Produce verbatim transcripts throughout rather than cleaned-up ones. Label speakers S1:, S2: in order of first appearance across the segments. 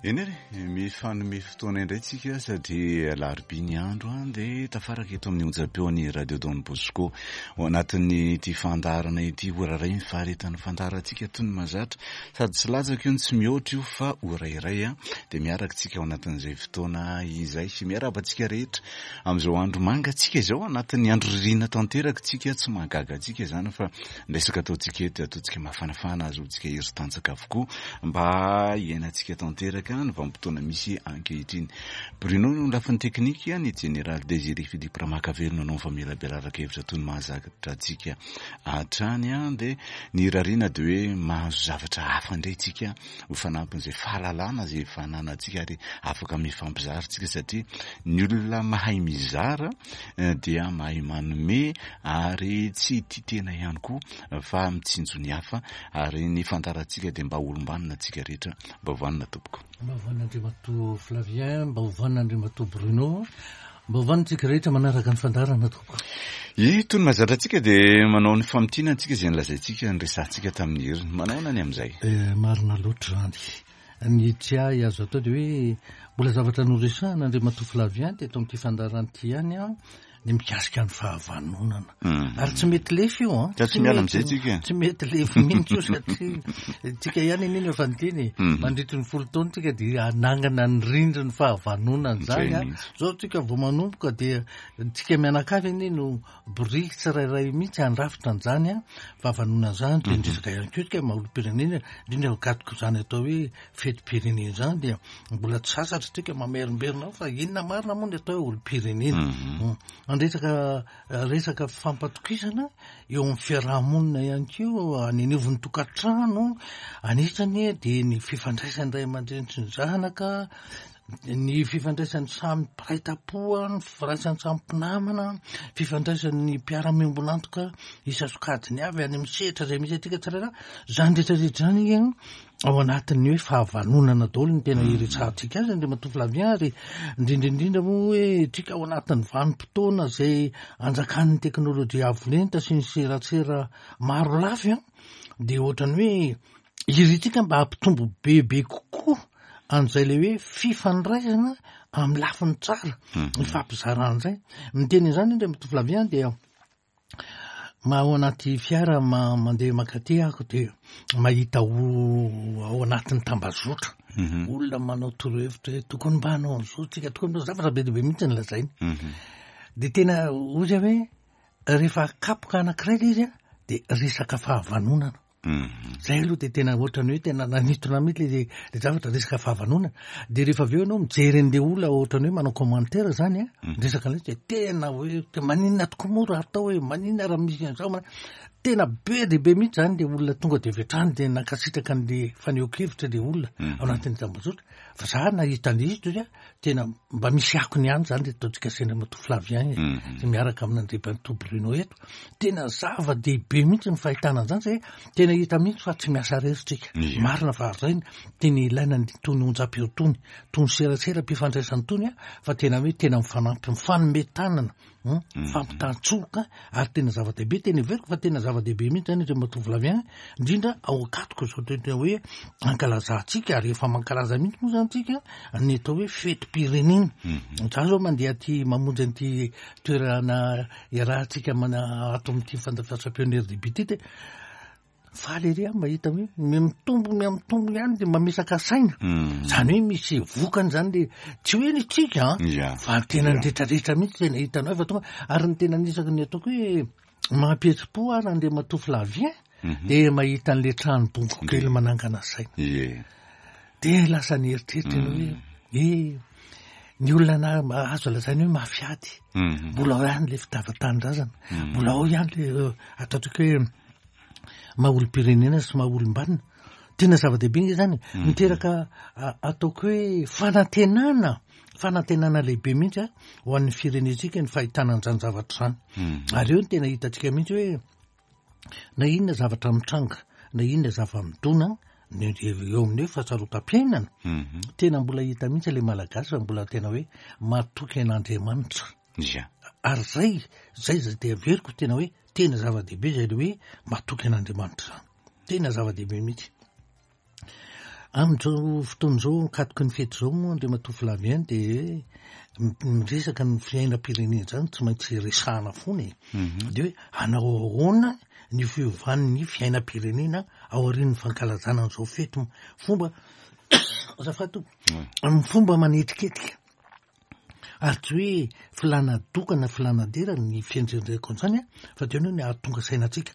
S1: Eny ary, mifanome fotoana indray tsika satria alarobia ny andro an, dia tafaraka eto amin'ny onjam-peon'ny Radio Don Bosco ao anatin'ity fandaharana ity. Ora iray ny faharetan'ny fandaharantsika toy ny mahazatra, sady tsy latsaka io no tsy mihoatra io fa ora iray an, dia miaraka tsika ao anatin'izay fotoana izay. Miarahaba antsika rehetra amin'izao andro mangatsiaka izao, anatin'ny andro ririnina tanteraka tsika, tsy mahagaga antsika izany fa ny resaka ataontsika eto dia ataontsika mafanafana, ahazoantsika hery tanjaka avokoa mba hiainantsika tanteraka ny vanim-potoana misy ankehitriny. Bruno no lafiny teknika, ny Jeneraly Désiré Philippe Ramakavelo nanao ny famelabelaran-kevitra toy ny mahazatra antsika hatrany an, dia ny irariana dia hoe mahazo zavatra hafa indray tsika ho fanampin'izay fahalalana izay efa ananantsika ary afaka mifampizara tsika satria ny olona mahay mizara dia mahay manome ary tsy tia tena ihany koa fa mitsinjo ny hafa, ary ny fandaharantsika dia mba olom-banona antsika rehetra. Mba ho vanona tompoko.
S2: Mba ho vanona Andriamatoa Flavien, mba ho vanona Andriamatoa Bruno, mba ho vanona antsika rehetra manaraka ny fandaharana tompoko.
S1: Ito ny mahazatra antsika dia manao ny famintinana antsika izay nolazaintsika niresahantsika tamin'ny heriny. Manao ahoana ny amin'izay?
S2: Eh, marina loatra izany. Ny tsy ahy azo atao dia hoe mbola zavatra noresahana Andriamatoa Flavien teto amin'ity fandaharana ity ihany an, ny mikasika ny fahavanonana.
S1: Mhm.
S2: Ary tsy mety lefy io an.
S1: Ka tsy miala amin'izay tsika.
S2: Tsy mety lefy mihitsy io satria tsika ihany anie no efa niteny.
S1: Mhm.
S2: Mandritry ny folo taona tsika dia hanangana ny rindrin'ny fahavanonana izany
S1: Izay
S2: an.
S1: mihitsy.
S2: Zao tsika vao manomboka dia tsika mianakavy anie no biriky tsirairay mihitsy handrafitra an'izany an. Fahavanonana izany dia
S1: Mhm.
S2: indrisaka ihany koa tsika maha olom-pirenena, indrindra mikatoko izany atao hoe fetim-pirenena izany dia mbola tsy sasatra tsika mamerimberina ao fa inona marina moa ny atao hoe olom-pirenena.
S1: Mhm.
S2: Mm. Andresaka resaka fampatokisana eo amin'ny fiarahamonina ihany koa, any anivon'ny tokantrano, anisany dia ny fifandraisan'ny ray aman-dreny sy ny zanaka, ny fifandraisan'ny samy mpiray tampo, ny firaisan'ny samy mpinamana, fifandraisan'ny mpiara-miombon'antoka isan-sokajiny avy any amin'ny sehatra izay misy antsika tsirairay. Izany rehetrarehetra izany an, ao anatin'ny hoe fahavanonana daholo ny tena iresahantsika azy Andriamatoa Flavien, ary indrindra indrindra moa hoe tsika ao anatin'ny vanim-potoana izay anjakan'ny teknôlôjia avo lenta sy ny serasera maro lafy an, dia ohatran'ny hoe irintsika mba hampitombo bebe kokoa an'izay ilay hoe fifandraisana amin'ny lafiny tsara,
S1: Mhm.
S2: ny fampizarana izay. Miteny izany Andriamatoa Flavien dia ma ao anaty fiara ma-, mandeha mankaty aho dia mahita o-, ao anatin'ny tambazotra.
S1: Mhm.
S2: Olona manao torohevitra hoe tokony mba hanao an'izao tsika, tokony mba zavatra be dia be mihitsy ny lazainy.
S1: Mhm.
S2: Dia tena hoy aho hoe rehefa kapoka anankiray ilay izy an, dia resaka fahavanonana.
S1: Mhm.
S2: Zay aloha dia tena ohatran'ny hoe tena nanintona mihitsy ilay, ilay zavatra resaka fahavanonana. Dia rehefa avy eo ianao mijery an'ilay olona ohatran'ny hoe manao commentaire zany an,
S1: Mhm.
S2: resaka an'ilay izy dia tena hoe te maninona tokoa moa raha atao hoe maninona raha misy an'izao, ma-, tena be dia be mihitsy zany ilay olona tonga dia avy hatrany dia nankasitraka an'ilay fanehoan-kevitra ilay olona
S1: Mhm.
S2: ao anatin'ny tambazotra. Fa za nahita an'ilay izy toy tena mba misy akony ihany zany ilay ataontsika sy Andriamatoa Flavien e,
S1: Mhm.
S2: sy miaraka amin'Andriamatoa Bruno eto. Tena zava-dehibe mihitsy ny fahitana an'izany satria tena hita mihitsy fa tsy miasa irery tsika.
S1: Ia.
S2: Marina fa izay tena ilaina ny tony onjam-peo tony, tony serasera mpifandraisana tony a, fa tena hoe tena mifanampy, mifanome tanana, hmm,
S1: Mhm.
S2: mifampitantsoka, ary tena zava-dehibe, tena heveriko fa tena zava-dehibe mihitsy zany Andriamatoa Flavien, indrindra ao ankatoko izao tena hoe ankalazantsika, ary efa mankalaza mihitsy moa zany tsika ny atao hoe fetim-pirenena.
S1: Mhm.
S2: Za zao mandeha aty mamonjy an'ity toerana iarahantsika mana ato amin'ity fandafasam-peo R D B ity dia faly ery aho mahita hoe miha-mitombo, miha-mitombo ihany dia mamesaka saina.
S1: Mhm.
S2: Zany hoe misy vokany zany le tsy hoe ny tsika an,
S1: Ia.
S2: fa tena
S1: Ia.
S2: ny rehetrarehetra mihitsy tena hitanao fa tonga, ary ny tena anisako ny ataoko hoe mampihetsi-po ary Andriamatoa Flavien
S1: Mhm.
S2: dia mahita an'ilay trano bongo kely manangana saina.
S1: Ie.
S2: Dia lasa nieritreritra ianao hoe,
S1: Mhm.
S2: eh, ny olona na azo lazaina hoe mafiady.
S1: Mhm.
S2: Mbola ao ihany ilay fitiavan-tanindrazana.
S1: Mhm.
S2: Mbola ao ihany ilay, eh, ataontsika hoe maha olom-pirenena sy maha olom-banona. Tena zava-dehibe nge zany.
S1: Mhm.
S2: Miteraka, a-, ataoko hoe fanantenana, fanantenana lehibe mihitsy a, ho an'ny firenentsika ny fahitana an'izany zavatra izany.
S1: Mhm.
S2: Ary eo no tena hitantsika mihitsy hoe na inona zavatra mitranga, na inona zava-midona, ny eo amin'ny hoe fahasarotam-piainana,
S1: Mhm.
S2: tena mbola hita mihitsy ilay Malagasy fa mbola tena hoe matoky an'Andriamanitra.
S1: Ia.
S2: Ary zay, zay zay dia averiko tena hoe tena zava-dehibe zay le hoe matoky an'Andriamanitra zany. Tena zava-dehibe mihitsy. Amin'izao fotoana izao, ankatoky ny fety izao moa, Andriamatoa Flavien, dia miresaka ny fiainam-pirenena izany tsy maintsy resahana foana e. Dia hoe hanao ahoana ny fiovan'ny fiainam-pirenena aorian'ny fankalazana an'izao fety fomba azafady tompoko, amin'ny fomba manetriketrika. Ary tsy hoe filana doka na filana dera ny fianjenjeko an'izany a, fa tena hoe ny ahatonga saina antsika.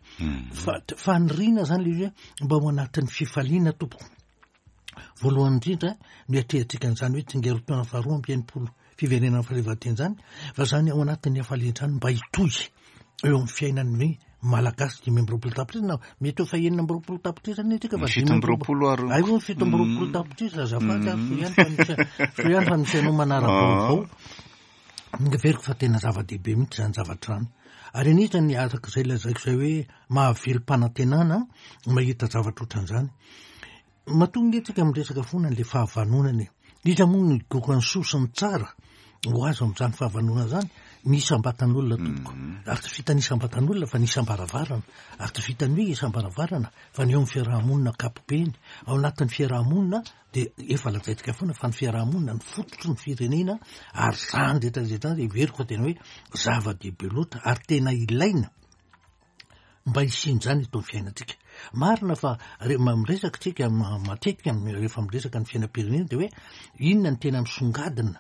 S2: Fa faniriana zany le izy hoe mba ao anatin'ny fifaliana tompoko. Voalohany indrindra miatrehantsika an'izany hoe tsingerin-taona faharoa amby enimpolo fiverenana fahaleovantena izany, fa zany ao anatin'ny hafaliana izany mba hitohy eo amin'ny fiainan'ny Malagasy dimy amby roapolo tapitrisa na mety ho fa enina amby roapolo tapitrisa anie tsika fa
S1: fito amby roapolo ary
S2: ay moa fito amby roapolo tapitrisa azafady ary soa ihany fa misy soa ihany fa misy anao manara-baovao. Heveriko fa tena zava-dehibe mihitsy izany zavatra izany. Ary anisany araka izay lazaiko izay hoe mahavelom-panantenana mahita zavatra ohatran'izany. Matoa nge tsika miresaka foana an'ilay fahavanonana e. Iza moa no higoka ny soa sy ny tsara ho azo amin'izany fahavanonana izany? Ny isam-batan'olona tompoko. Ary tsy vitan'ny isam-batan'olona fa ny isam-baravarana. Ary tsy vitan'ny hoe isam-baravarana fa ny eo amin'ny fiarahamonina ankapobeny. Ao anatin'ny fiarahamonina dia efa lazaintsika foana fa ny fiarahamonina ny fototry ny firenena, ary izany rehetra rehetra izany heveriko fa tena hoe zava-dehibe loatra ary tena ilaina mba hisian'izany eto amin'ny fiainantsika. Marina fa re-, miresaka tsika matetika rehefa miresaka ny fiainam-pirenena dia hoe inona ny tena misongadina,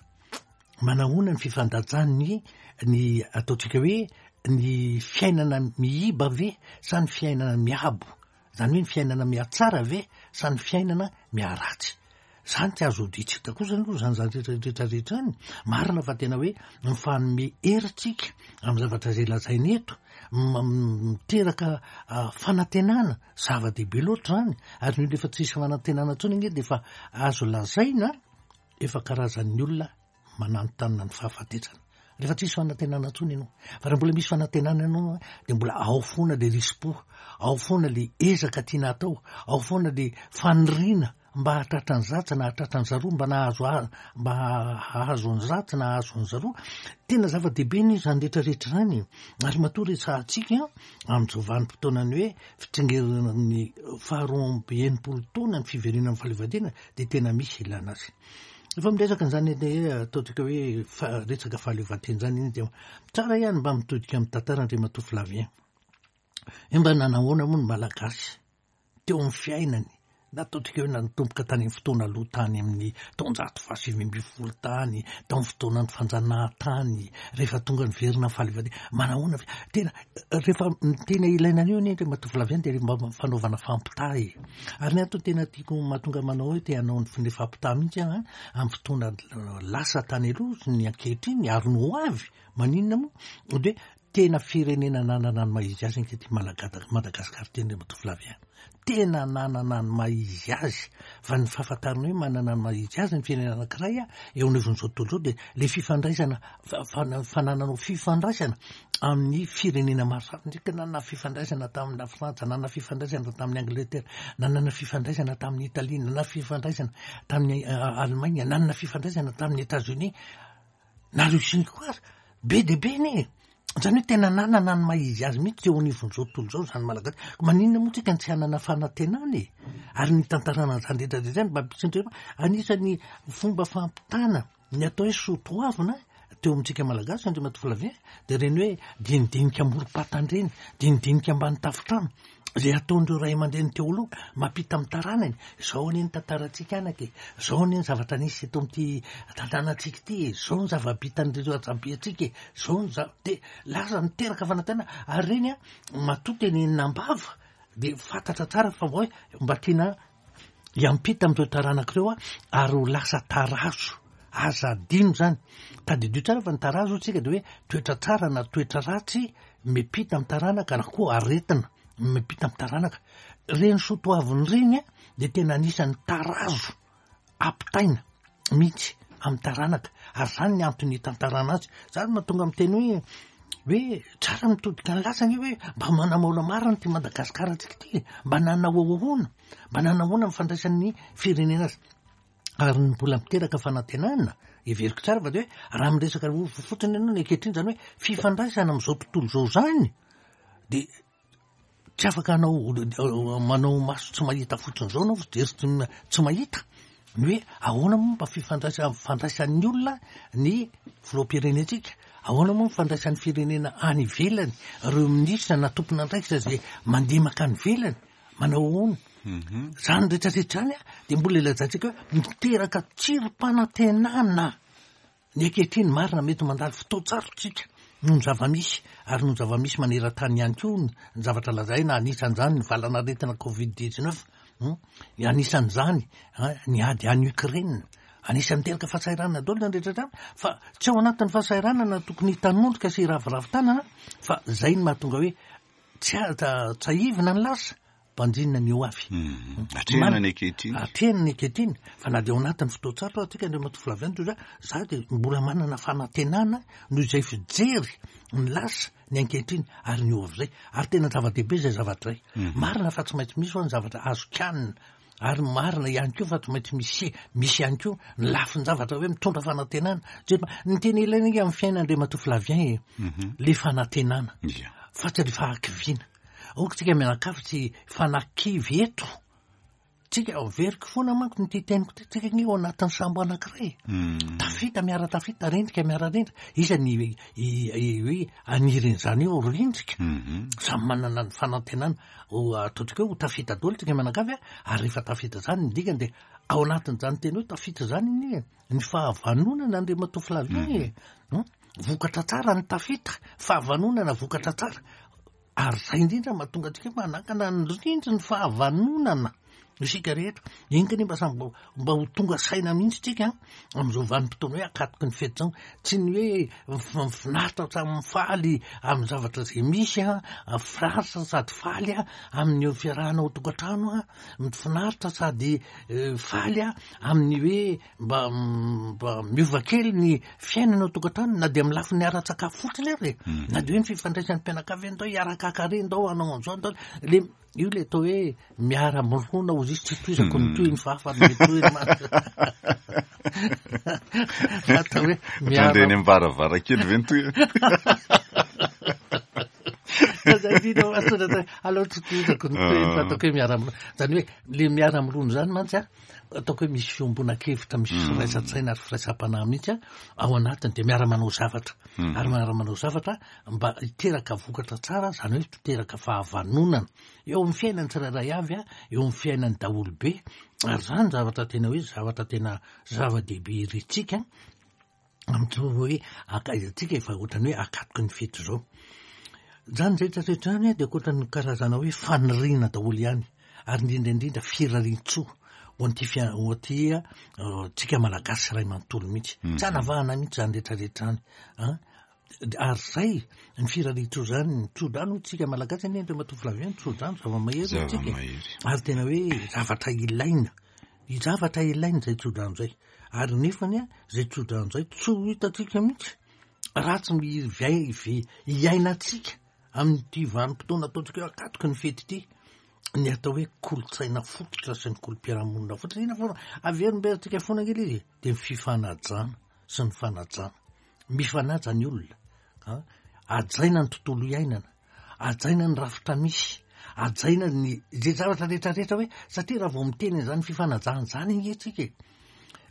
S2: manahoana ny fifandajan'ny ny ataontsika hoe ny fiainana miiba ve sa ny fiainana miabo, izany hoe ny fiainana mihatsara ve sa ny fiainana miharatsy. Zany tsy azo odian-tsy hita kosa aloha izany zavatra rehetra rehetra izany. Marina fa tena hoe mifanome hery tsika amin'ny zavatra izay lazaina eto, miteraka fanantenana, zava-dehibe loatra izany. Ary ny olona efa tsisy fanantenana intsony ange dia efa azo lazaina efa karazan'ny olona mananontanona ny fahafatesana. Rehefa tsisy fanantenana intsony ianao, fa raha mbola misy fanantenana ianao dia mbola ao foana le risi-po, ao foana le ezaka tiana atao, ao foana le faniriana mba hahatratra ny zatsy na hahatratra ny zaroa, mba nahazo a-, mba hahazo ny zatsy na hahazo ny zaroa. Tena zava-dehibe ny izany rehetra rehetra izany. Ary matoa resahantsika amin'izao vanim-potoanany hoe fitsingerenan'ny faharoa amby enimpolo taona ny fiverenana amin'ny fahaleovantena dia tena misy ilana azy. Efa miresaka an'izany hoe ataontsika hoe fa-, resaka fahaleovantena izany iny dia tsara ihany mba mitodika amin'ny tantara Andriamatoa Flavien. Hoe mba nanahoana moa ny Malagasy teo amin'ny fiainany, na ataontsika hoe nanomboka tany amin'ny fotoana aloha tany amin'ny taonjato fahasivy ambin'ny folo tany, tao amin'ny fotoanan'ny fanjanahantany, rehefa tonga niverina ny fahaleovantena, manahoana ve? Tena rehefa tena ilaina an'io anie Andriamatoa Flavien dia mba fanaovana fampitaha e. Ary ny antony tena tiako mahatonga manao hoe te hanao ny fampitaha mihitsy aho amin'ny fotoana lasa tany aloha sy ny ankehitriny ary ny ho avy, maninona moa? Dia tena firenena nanana ny maha izy azy ankehitriny Malagada-, Madagasikara ity Andriamatoa Flavien. Tena nanana ny maha izy azy, fa ny fahafantarana hoe manana ny maha izy azy ny firenena anankiray a, eo anivon'izao tontolo izao dia le fifandraisana, fa-, fa-, fanananao fifandraisana amin'ny firenena maro samihafa. Ndrika nanana fifandraisana tamin'ny Frantsa, nanana fifandraisana tamin'ny Angleterre, nanana fifandraisana tamin'ny Italie, nanana fifandraisana tamin'ny Allemagne, nanana fifandraisana tamin'ny États-Unis, na Russie koa ary. Be dia be anie. Izany hoe tena nanana ny maha izy azy mihitsy teo anivon'izao tontolo izao izany Malagasy. Maninona moa tsika tsy hanana fanantenana e? Ary ny tantarana an'izany rehetra rehetra izany mba hampisy anisan'ny fomba fampitana ny atao hoe soatoavina teo amintsika Malagasy Andriamatoa Flavien dia ireny hoe dinidinika amorom-patana ireny, dinidinika ambany tafontrano izay ataon'ireo ray aman-dreny teo aloha mampita amin'ny taranany. Izao anie ny tantarantsika anaka e, izao anie ny zavatra nisy eto amin'ity tanànantsika ity e, izao ny zava-bitan'ireo razambentsika e, izao ny za-, dia lasa miteraka fanantenana. Ary ireny a, matoa tenenina am-bava dia fantatra tsara fa hoe mba tiana hiampita amin'ireo taranaka ireo a, ary ho lasa tarazo. Aza adino izany. Tadidio tsara fa ny tarazo tsika dia hoe toetra tsara na toetra ratsy miampita amin'ny taranaka na koa aretina miampita amin'ny taranaka. Ireny soatoavina ireny a dia tena anisan'ny tarazo ampitaina mihitsy amin'ny taranaka. Ary izany ny antony hitantarana azy. Izany mahatonga miteny hoe hoe tsara mitodika ny lasa anie hoe mba manamaola marina ity Madagasikara antsika ity, mba nanao ahoana, mba nanahoana ny fandraisan'ny firenena azy. Ary ny mbola miteraka fanantenana, heveriko tsara fa dia hoe raha miresaka fotsiny ianao ny ankehitriny izany hoe fifandraisana amin'izao tontolo izao izany dia Tsy afaka anao manao maso tsy mahita fotsiny zao anao, fijery tsy mahita ny hoe ahoana moa mba fifandraisa fandraisan'ny olona ny filoham-pirenentsika, ahoana moa mifandraisan'ny firenena any ivelany, ireo minisitra na tompon'andraikitra zay mandeha makany ivelany manao ahoana. Zany rehetrarehetra zany a de mbola ilazantsika hoe miteraka tsirim-panantenana ny ankehitriny. Marina, mety mandalo fotoan-tsarotsika noho ny zava-misy, ary noho ny zava-misy maneran-tany ihany koa ny zavatra lazaina, anisan'izany ny valanaretina covid dix-neuf, anisan'izany ny ady any Ukraine, anisan'ny miteraka fahasahiranana daholo zany rehetra zany. Fa tsy ao anatin'ny fahasahiranana tokony hitanondrika sy hiraviravy tanana, fa zay ny mahatonga hoe tsy tsahivina ny lasa, banjinina ny ho avy.
S1: Atrehina ny ankehitriny.
S2: Atrehina ny ankehitriny, fa na de ao anatin'ny fotoan-tsarotra atsika, Andriamatoa Flavien, toy zay za de mbola manana fanantenana noho izay fijery ny lasa, ny ankehitriny ary ny ho avy zay, ary tena zava-dehibe zay zavatra zay. Marina fa tsy maintsy misy hoa ny zavatra azo kianina, ary marina ihany koa fa tsy maintsy misy misy ihany koa ny lafin-javatra hoe mitondra fanantenana. Ny tena ilaina inge amin'ny fiainana, Andriamatoa Flavien, e le fanantenana fa tsy le fahakiviana. Aoka tsika mianakavy tsy fanakivy eto tsika. Averiko foana manko ny ty teniko ty, tsika ny ao anatin'ny sambo anankiray, tafita miara-tafita, rendrika miara-rendrika. Iza ny hoe anirin'izany eo rendrika, samy manana ny fanantenana ataontsika hoe ho tafita daholo tsika mianakavy a. Ary rehefa tafita zany, ny dikany de ao anatin'izany teny hoe tafita zany iny ny fahavanonana, Andriamatoa Flavien, e vokatra tsara ny tafita, fahavanonana vokatra tsara. Ary zay indrindra mahatonga antsika manakana ny rindry ny fahavanonana isika rehetra iny ka mba samy mba ho tonga saina mihitsy tsika am'izao vanim-potoana hoe akatoky ny fety zao. Tsy ny hoe finaritra samy mifaly amin'ny zavatra zay misy a, finaritra sady faly a amin'ny fiarahana ao tokantrano a, finaritra sady faly a amin'ny hoe mba mba miova kely ny fiainana ao tokantrano, na de amin'ny lafiny ara-tsakafo fotsiny ary e, na de hoe ny fifandraisan'ny mpianakavy, andao hiaraka ndao hanao an'izao, andao le io le atao hoe miara-mirona ozy izy. Tsy toizako ny tohiny fa hafa ny tohiny atao hoe
S1: miara eny am-baravarankely ve ny tohiny?
S2: Aloha tsy tohizako ny tohiny fa ataoko hoe miara-mirona zany, hoe le miara-mirona zany mantsy a, ataoko hoe misy fiombona-kevitra, misy firaisan-tsaina ary firaisam-panahy mihitsy a ao anatiny, de miara-manao zavatra, ary miara-manao zavatra mba hiteraka vokatra tsara, zany hoe hiteraka fahavanonana eo amin'ny fiainany tsirairay avy a, eo amin'ny fiainany daholobe. Ary zany zavatra tena hoe zavatra tena zava-dehibe iritsika am'to hoe akatsika efa ohatrany hoe akatoky ny fety zao zany zay rehetrarehetra zany a, de ankoatrany karazana hoe faniriana daholo ihany, ary indrindra indrindra firariantsoa ho an'ity fia- ho aty tsika Malagasy ray manontolo mihitsy, tsy anavahana mihitsy zany rehetrarehetra zany a. Ary zay ny firariantsoa zany, ny tsodrano tsika Malagasy anie, Andriamatoa Flavien, tsodrano zava-mahery tsika, ary tena hoe zavatra ilaina, zavatra ilaina zay tsodrano zay. Ary nefany a zay tsodrano zay tsy ho hitatsika mihitsy raha tsy mivy iainantsika amin'ity vanim-potoana ataontsika hoe akatoky ny fety ity ny atao hoe kolotsaina fototra sy ny kolom-piarahamonina fototra. Ina foana averimberentsika foana kely izy, de ny fifanajana sy ny fanajana, mifanaja ny olona a, ajaina ny tontolo iainana, ajaina ny rafitra misy, ajaina ny zay zavatra rehetrarehetra, hoe satria raha vao miteny zany fifanajana zany ingetsika e,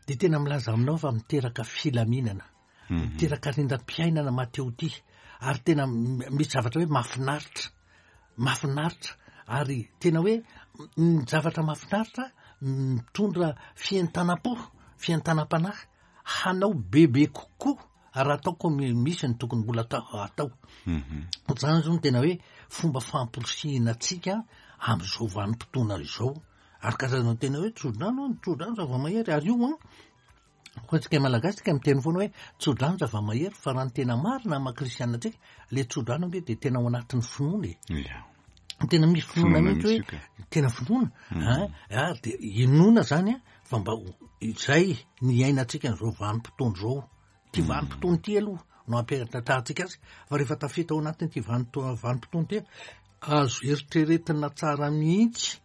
S2: de tena milaza aminao fa miteraka filaminana, miteraka rindram-piainana mateo ty, ary tena misy zavatra hoe mahafinaritra, mahafinaritra, ary tena hoe ny zavatra mahafinaritra mitondra fientanam-po, fientanam-panahy hanao bebe kokoa raha ataoko misy ny tokony mbola atao atao zany zao no tena hoe fomba famporisihina atsika am'izao vanim-potoana izao. Ary karazana tena hoe tsodrano, ny tsodrano zava-mahery. Ary io an koa tsika Malagasy tsika miteny foana hoe tsodrano zava-mahery, fa raha ny tena marina maha kristianina atsika, le tsodrano ange de tena ao anatin'ny finoana e, tena misy finoana mihitsy, hoe tena finoana a, ary de inoana zany a fa mba izay ny iainantsika n'izao vanim-potoana zao. Ty vanim-potoana ty aloha no ampiatrahantsika azy, fa rehefa tafita ao anatin'ity vanim-potoana ty, azo eritreretina tsara mihitsy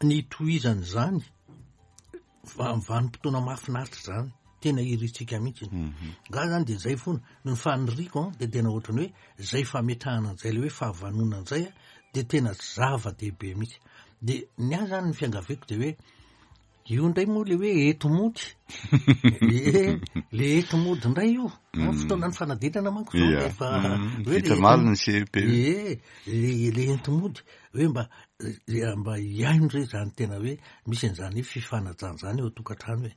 S2: ny tohizany zany vanim-potoana mahafinaritra zany, tena iritsika mihitsy nga zany. De zay foana ny faniriko a, de tena ohatrany hoe zay fametrahana an'izay le hoe fahavanona an'izay a, de tena zava-dehibe mihitsy. De ny ahy zany ny fiangaviako de hoe io indray moa le hoe enti-mody e, le enti-mody indray io mm. fotoana ny fanadinana manko zao
S1: rehefa vita maly ny C E P.
S2: E, le le enti-mody hoe mba mba iaino re zany tena hoe misy an'izany hoe fifanajana zany eo an-tokantrano, hoe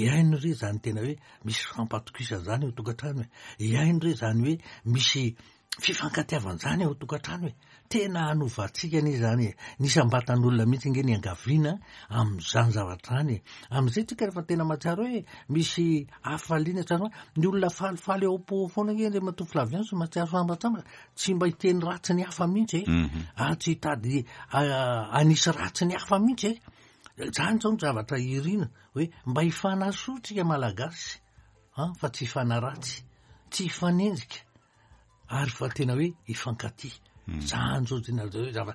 S2: iaino re zany tena hoe misy fampatokisana zany eo an-tokantrano, hoe iaino re zany hoe misy fifankatiavana zany eo an-tokantrano, hoe tena hanovantsika anie zany e. Nisy ambatan'olona mihitsy nge ny angaviana am'izany zavatra zany e. Am'izay tsika rehefa tena mahatsiaro hoe misy hafaliana tsara, ny olona falifaly eo am-po foana nge Andriamatoa Flavien sy mahatsiaro sambatsambatra, tsy mba hiteny ratsy ny hafa mihitsy e,
S1: mhm.
S2: ary tsy hitady anisy ratsy ny hafa mihitsy e. Zany zao ny zavatra irina hoe mba hifanasoa tsika Malagasy a, fa tsy hifanaratsy, tsy hifanenjika, ary fa tena hoe hifankatia
S1: mm.
S2: Zany zao tena zava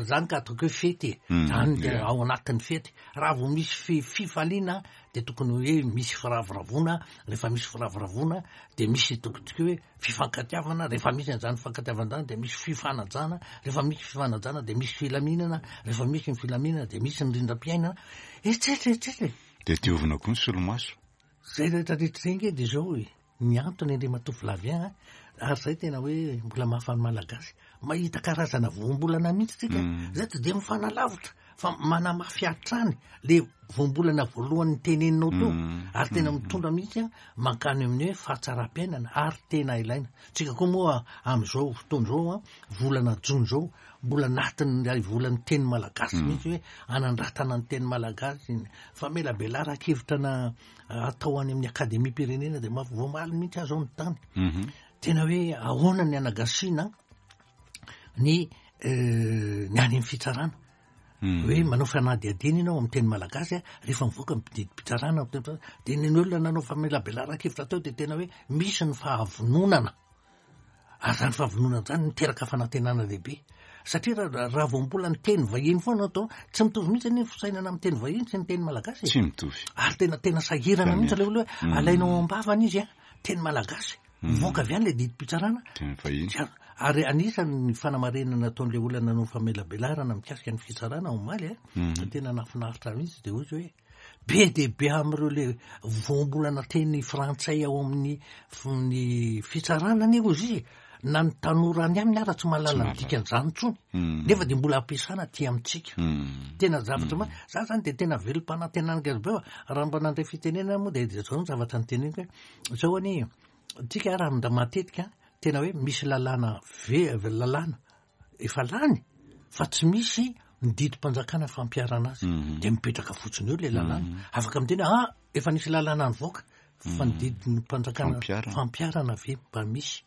S2: zany ka ataoko hoe fety e.
S1: Mm,
S2: Zany de
S1: yeah.
S2: ao anatin'ny fety, raha vao misy fi- fifaliana de tokony hoe misy firavoravoana, rehefa misy firavoravoana de misy tokotsika hoe fifankatiavana, rehefa misy an'izany fifankatiavana zany de misy fifanajana, rehefa misy fifanajana de misy filaminana, rehefa misy ny filaminana de misy ny rindram-piainana, etsetra etsetra.
S1: De diovina koa ny solomaso.
S2: Zay rehetrarehetra zay nge de zao e ny antony, Andriamatoa Flavien, ary zay tena hoe mbola mahafany Malagasy mahita karazana voambolana mihitsy tsika
S1: Mm.
S2: zay tsy de mifanalavitra fa manamafy hatrany le voambolana voalohany teneninao teo
S1: Mm.
S2: ary tena mitondra mihitsy a mankany amin'ny hoe fahatsaram-piainana, ary tena ilaina tsika koa moa am'izao fotoana zao a, volana jony zao mbola anatin'ny volan'ny teny malagasy mihitsy, hoe anandratana ny teny malagasy, famelabelaran-kevitra na atao any amin'ny akademia pirenena de mafy voamaly mihitsy aho zao ny tany
S1: Mhm.
S2: tena hoe ahoana ny anagasiana ny eh, ny any amin'ny fitsarana
S1: Mm.
S2: hoe manao fanadihadiana ianao amin'ny teny malagasy a, rehefa mivoaka ny didim-pitsarana amin'ny teny malagasy, de ny olona nanao famelabelaran-kevitra teo de tena hoe misy ny fahavononana, ary zany fahavononana zany miteraka fanantenana lehibe, satria raha raha vao mbola ny teny vahiny foana atao, tsy mitovy mihitsy ny fisainana amin'ny teny vahiny sy ny teny malagasy e.
S1: Tsy mitovy.
S2: Ary tena tena sahirana mihitsy le olo hoe
S1: Mm.
S2: alainao am-bavana izy a teny malagasy, mivoaka avy any le didim-pitsarana
S1: teny vahiny.
S2: Tsy ar- ary anisan'ny fanamarinana nataon'le olona nanao famelabelarana mikasika ny fitsarana omaly a
S1: Mhm.
S2: tena nafinaritra mihitsy, de ozy hoe be de be am'ireo le voambolana teny frantsay ao amin'ny f- ny fitsarana anie ozy izy, na ny tanora any aminy ara tsy mahalala ny dikan'izany intsony,
S1: Mm.
S2: nefa de mbola ampiasana aty amintsika.
S1: Mm.
S2: Tena zavatra ma za zany de tena velom-panantenana gazy be fa raha mba nandray fitenenana moa de de zao ny zavatra nyteneniko hoe zao anie tsika raha nda matetika tena hoe misy lalàna ve lalàna efa lany fa tsy misy ny didim-panjakana fampiharana azy,
S1: Mhm.
S2: de mipetraka fotsiny eo le lalàna, afaka miteny ah efa nisy lalàna nivoaka fa ny didim-panjakana
S1: Fampiharana.
S2: fampiharana ve mba misy?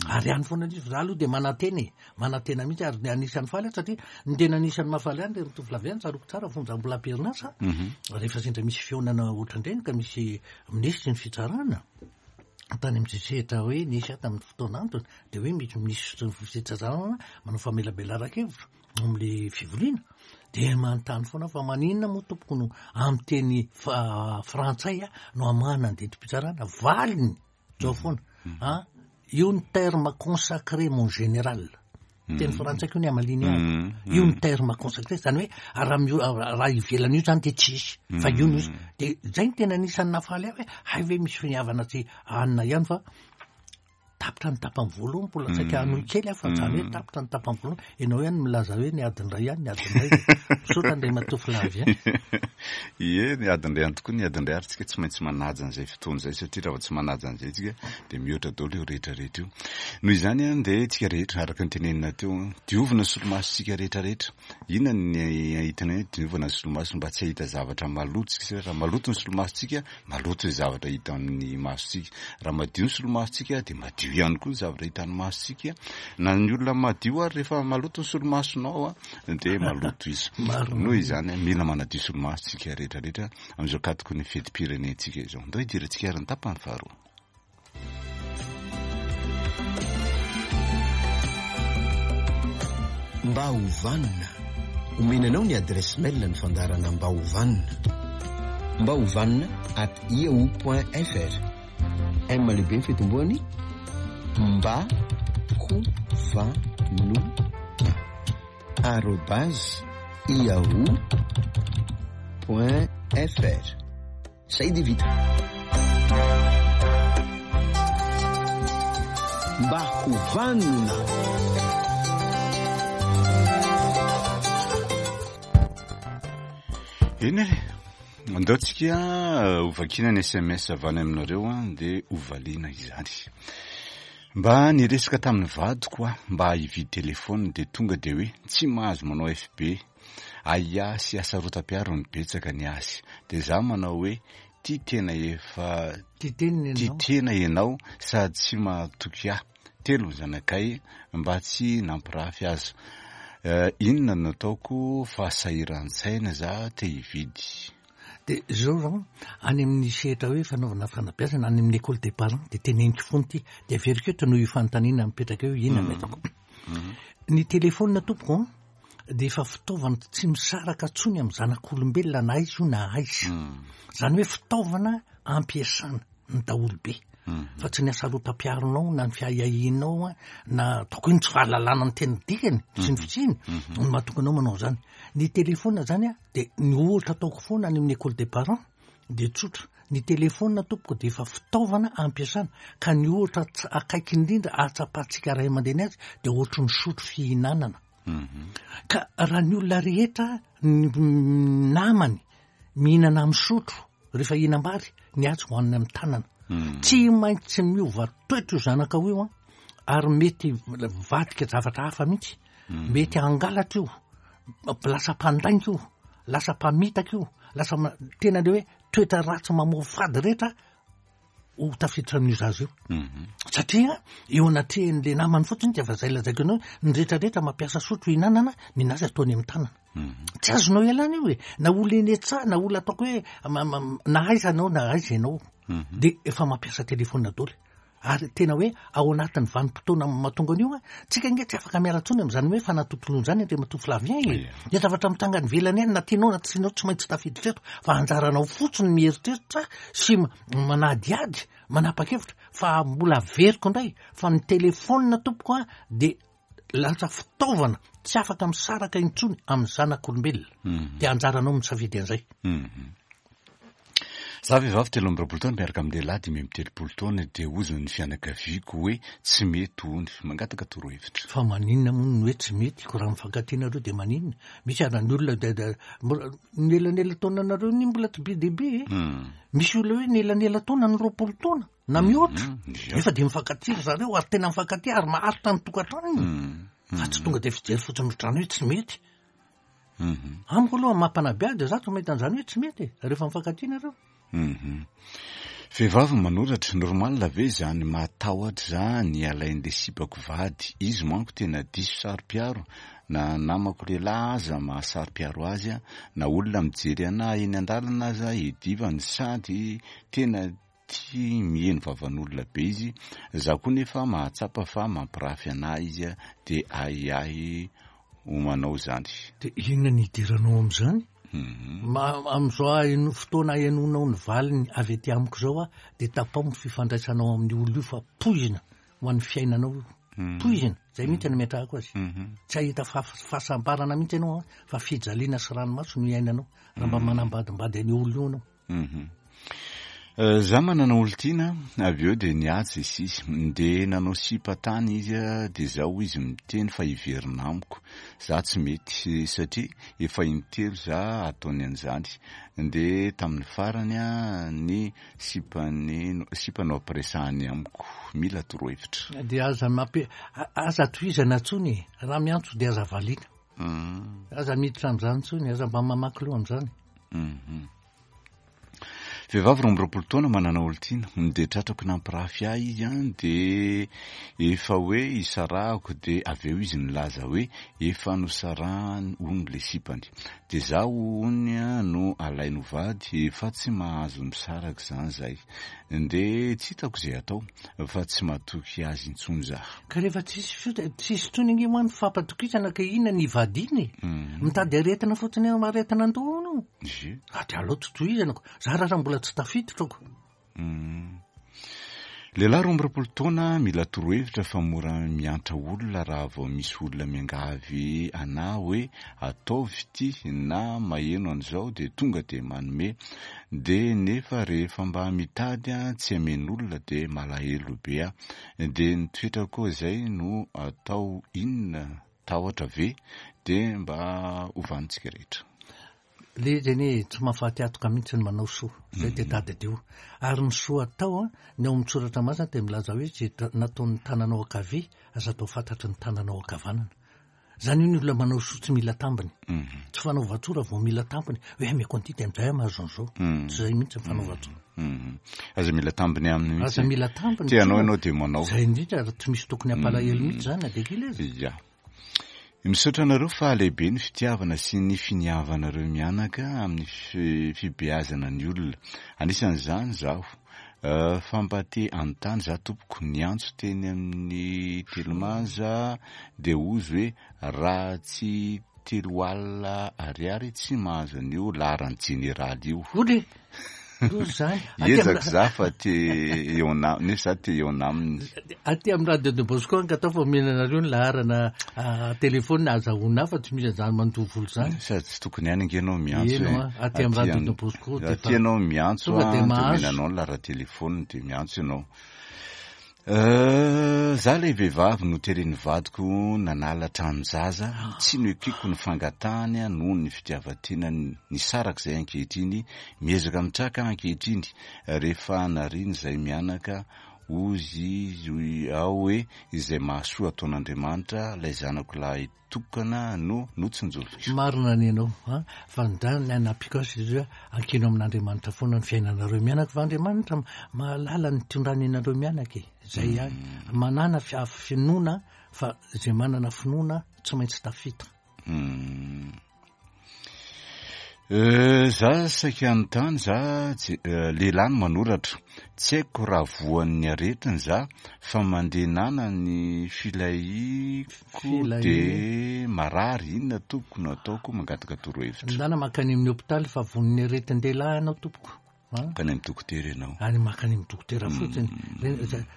S2: Ary any foana izy za aloha de manantena e, manantena mihitsy, ary ny anisan'ny faly aho satria ny tena anisan'ny mahafaly any de mitovy laviany tsaroako tsara fony za mbola am-perinasa,
S1: Mhm.
S2: rehefa sendra misy fihaonana ohatran-dreny ka misy minisitry ny fitsarana tany amin'ny sehatra hoe nisy aho tamin'ny fotoana antony, de hoe misy minisitry ny fitsarana manao famelabelaran-kevitra am'le fivoriana, de manontany foana fa maninona moa tompoko no amin'ny teny fa- frantsay a no amahana ny didim-pitsarana? Valiny zao foana a io ny terme consacré, mon général, teny frantsay ko ny amaliny azy.
S1: Mm.
S2: Io ny terme consacré zany hoe raha mio- raha ivelan'io zany de tsisy fa io no izy, de zay ny tena anisan'ny nafaly ahy hoe hay ve misy finiavana tsy anina ihany, fa tapitra ny tapany voalohany, mbola saika hanohy kely aho fa zany hoe tapitra ny tapany voalohany, ianao ihany milaza hoe ny adiny ray ihany, ny adiny ray. Misaotra Andriamatoa Flavien.
S1: Ie, ny adiny ray ihany tokoa ny adiny ray, ary tsika tsy maintsy manaja an'izay fotoana izay, satria raha vao tsy manaja an'izay tsika de mihoatra daholo io rehetrarehetra io. Noho izany a de tsika rehetra araka ny tenenina teo a, diovina ny solomasontsika rehetrarehetra. Inona ny ahitana hoe diovina ny solomaso? Mba tsy hahita zavatra maloto tsika, satria raha maloto ny solomasontsika, maloto ny zavatra hita amin'ny masontsika. Raha madio ny solomasontsika de madio ihany koa ny zavatra hitan'ny masontsika, na ny olona madio ary rehefa maloto ny solomasonao a de maloto izy.
S2: Marina.
S1: Noho izany a, mila manadio solomasontsika rehetrarehetra amin'izao katoko ny fetim-pirenentsika izao. Ndao hidirantsika ary ny tapany faharoa.
S3: Mba ho vanona, omena anao ny adresse mail ny fandaharana Mba ho vanona: mba ho vanona at yahoo point fr. M lehibe ny fitomboany, mba ho vanona. arobase yahoo point fr. Zay de vita. Mba ho vanona.
S1: Eny e, andao tsika hovakina ny S M S avy any aminareo an, dia hovaliana izany. Mba niresaka tamin'ny vadiko aho mba hividy telefôna, dia tonga dia hoe tsy mahazo manao F B. Aia sy asarotam-piaro ny betsaka ny azy. Dia za manao hoe tia tena efa
S2: Tia tena
S1: tia
S2: ianao.
S1: tena ianao sady tsy mahatoky ahy. Telo ny zanakay mba tsy nampirafy azy. Eh, inona no ataoko fa sahiran-tsaina za te hividy?
S2: Dia zao zao, any amin'ny sehatra hoe fanaovana fanabeazana, any amin'ny école des parents, dia teneniko foana ity. Dia averiko eto noho io fanontaniana mipetraka eo, inona no ataoko?
S1: Mm.
S2: Ny telefôna tompoko an, dia efa fitaovana tsy misaraka intsony amin'ny zanak'olombelona na aiza io na aiza.
S1: Mm.
S2: Izany hoe fitaovana ampiasana ny daholobe.
S1: Mm.
S2: Fa tsy ny asarotam-piaronao na ny fiahiahianao an, na ataoko hoe ny tsy fahalalana ny tena dikany sy ny fitsiny no mahatonga anao manao izany. Ny telefôna zany an, dia ny ohatra ataoko foana any amin'ny école des parents dia tsotra. Ny telefôna tompoko dia efa fitaovana ampiasana, ka ny ohatra ts-, akaiky indrindra ahatsapantsika ray aman-dreny azy dia ohatry ny sotro fihinanana.
S1: Mhm.
S2: Ka raha ny olona rehetra ny namany mihinana amin'ny sotro rehefa hihinam-bary, ny azy hohanina amin'ny tanana.
S1: Mm.
S2: Tsy maintsy miova toetra io zanakao io an, ary mety mivadika zavatra hafa mihitsy.
S1: Mm.
S2: Mety hangalatra io, lasa mpandainga io, lasa mpamitaka io, lasa ma-, tena le hoe toetra ratsy mamoafady rehetra ho tafiditra amin'io zaza io.
S1: Mhm.
S2: Satria eo anatrehan'le namany fotsiny dia efa zay lazaiko anao, ny rehetrarehetra mampiasa sotro hihinanana, ny anazy ataony amin'ny tanana.
S1: Mhm.
S2: Tsy azonao ialana io e, na olona eny an-tsaha, na olona ataoko hoe ma-, ma-, na aiza anao na aiza ianao,
S1: Mhm.
S2: dia efa mampiasa telefôna daholo. Ary tena hoe ao anatin'ny vanim-potoana mahatonga an'io an, tsika ange tsy afaka miala intsony amin'izany hoe fanatontoloana izany Andriamatoa Flavien e.
S1: Ia.
S2: Ny zavatra mitranga any ivelany any, na tianao na tsy tianao, tsy maintsy tafiditra eto, fa anjaranao fotsiny mieritreritra sy m-, manadihady, manapa-kevitra, fa mbola averiko indray fa ny telefôna tompoko an dia lasa fitaovana tsy afaka misaraka intsony amin'ny zanak'olombelona.
S1: Mhm.
S2: Dia anjaranao misafidy an'izay.
S1: Mhm. Za vehivavy telo amby roapolo taona miaraka amin'ny lehilahy dimy amby telopolo taona, dia hozy ny fianakaviako hoe tsy mety hony, mangataka torohevitra.
S2: Fa maninona moa ny hoe tsy mety? Ko raha mifankatia nareo dia maninona? Misy ara ny olona dia, dia, mbola, ny elanela-taona nareo ny mbola tsy be dia be e.
S1: Mm.
S2: Misy olona hoe ny elanela-taona ny roapolo taona na mihoatra.
S1: Mm. Ia.
S2: Nefa dia mifankatia ry zareo ary tena mifankatia ary maharitra ny tokantranony.
S1: Mm.
S2: Fa tsy tonga dia fijery fotsiny ohatrany hoe tsy mety.
S1: Mhm.
S2: Amiko aloha mampanabeady za tsy mahita an'izany hoe tsy mety e, rehefa mifankatia nareo.
S1: Mhm. Vehivavy manoratra, normal ve izany matahotra zany alain'ilay sipako vady? Izy manko tena diso saro-piaro, na namako lehilahy aza mahasaro-piaro azy, na olona mijery anahy eny an-dalana aza idivany, sady tena tia miheno vavan'olona be izy. Za koa nefa mahatsapa fa mampirafy anahy izy, dia ahiahy ho manao izany.
S2: Dia inona ny idiranao amin'izany?
S1: Mhm.
S2: Ma-, amin'izao aheno-, fotoana ahenoanao ny valiny avy aty amiko izao a, dia tapao ny fifandraisanao amin'ny olona io fa poizina ho an'ny fiainanao io.
S1: Mhm.
S2: Poizina, zay mihitsy no ametrahako azy.
S1: Mhm.
S2: Tsy hahita fa-, fahasambarana mihitsy ianao a, fa fijaliana sy ranomaso no iainanao raha mba
S1: Mhm.
S2: manambadimbady an'io olona io ianao.
S1: Mhm. Eh, za manana olon-tiana, avy eo dia niatsy izy izy, dia nanao sipa tany izy, dia zaho izy miteny fa hiverina amiko. Za tsy mety satria efa intelo za ataony an'izany. Dia tamin'ny farany a, ny sipany, sipa no ampiresahany amiko, mila torohevitra.
S2: Dia aza mampi-, a-, aza tohizana intsony e, raha miantso dia aza valiana.
S1: Mm.
S2: Aza miditra amin'izany intsony, aza mba mamaky loha amin'izany.
S1: Mhm. Vehivavy roa amby roapolo taona manana olon-tiana, dia tratrako nampirafy ahy izy an, dia efa hoe isarahako, dia avy eo izy nilaza hoe efa nosarahany hono ilay sipany. Dia zaho hono a no alainy ho vady, efa tsy mahazo misaraka izany zay. Dia tsy hitako izay atao fa tsy matoky azy intsony za.
S2: Ka rehefa tsisy fio-, tsisy intsony ange moa ny fampatokisana ka inona ny vadiny e?
S1: Mhm.
S2: Mitady aretina fotsiny eo, aretina an-doha hono.
S1: Ie.
S2: Ah, dia aleo tsy tohizana ko. Za raha mbola tsy tafiditra ko.
S1: Mhm. Lehilahy roa amby roapolo taona mila torohevitra fa mora miantra olona raha vao misy olona miangavy ana hoe ataovy ity na maheno an'izao de tonga de manome, de nefa rehefa mba mitady a tsy amen'olona de malahelo be a, de ny toetra koa zay no atao inona, tahotra ve? De mba hovantsika rehetra.
S2: Le izy anie tsy mahafaty atoka mihitsy ny manao soa, zay de tadidio. Ary ny soa atao a, ny ao amin'ny soratra masina de milaza hoe zay nataon'ny tananao ankavia aza atao fantatry ny tananao ankavanana. Zany io ny olona manao soa tsy mila tambiny. Tsy fanaovan-tsoa raha vao mila tambiny hoe ameko an'ity de amin'izay aho mahazo an'izao. Tsy zay mihitsy ny fanaovan-tsoa.
S1: Aza mila tambiny aminy mihitsy.
S2: Aza mila tambiny.
S1: Tianao ianao de manao.
S2: Zay indrindra, ary tsy misy tokony hampalahelo mihitsy zany na de kely aza.
S1: Ya. Misaotra anareo fa lehibe ny fitiavana sy ny finiavanareo mianaka amin'ny fibeazana ny olona. Anisan'izany zaho. Fa mba te hanontany za tompoko, niantso teny amin'ny Telemaza de ozy hoe raha tsy telo alina ariary tsy mahazo an'io laharan'ny jeneraly io.
S2: Oly! Loza zany.
S1: Ezaka za fa te eo ana, nefa za te eo aminy.
S2: Aty amin'ny Radio Don Bosco angataho fa omena anareo ny laharana telefôna azahoana fa tsy misy an'izany mandoa vola zany.
S1: Sady tsy tokony ihany ange ianao miantso.
S2: Eno a, aty amin'ny Radio Don Bosco de
S1: Aty ianao miantso
S2: tonga de
S1: a, de
S2: mahazo.
S1: omena anao ny laharan'ny telefôna de miantso ianao. Za ilay vehivavy no teren'ny vadiko nanala tranon-jaza, tsy noekeko ny fangatahany noho ny fitiavan-tenany nisaraka izay ankehitriny, miezaka mitraka ankehitriny rehefa nariny izay mianaka ozy izy ao hoe izay mahasoa ataon'Andriamanitra ilay zanako lahy tokana no notsinjoviko.
S2: Marina ny anao, a? Fa ny anapiko azy izy hoe ankino amin'Andriamanitra foana ny fiainanareo mianaka, fa Andriamanitra mahalala ny tondrany anareo mianaka e. Zay ihany. Manana finoana, fa zay manana finoana tsy maintsy tafita.
S1: Za saika anontany, za lehilahy no manoratra. Tsy haiko raha voan'ny aretina za, fa mandeha nana ny filahiako de marary. Inona tompoko no ataoko? Mangataka torohevitra.
S2: Ndana mankany amin'ny hôpitaly fa voan'ny aretin-dehilahy ianao tompoko.
S1: Mankany amin'ny dokotera ianao.
S2: Any mankany amin'ny dokotera fotsiny.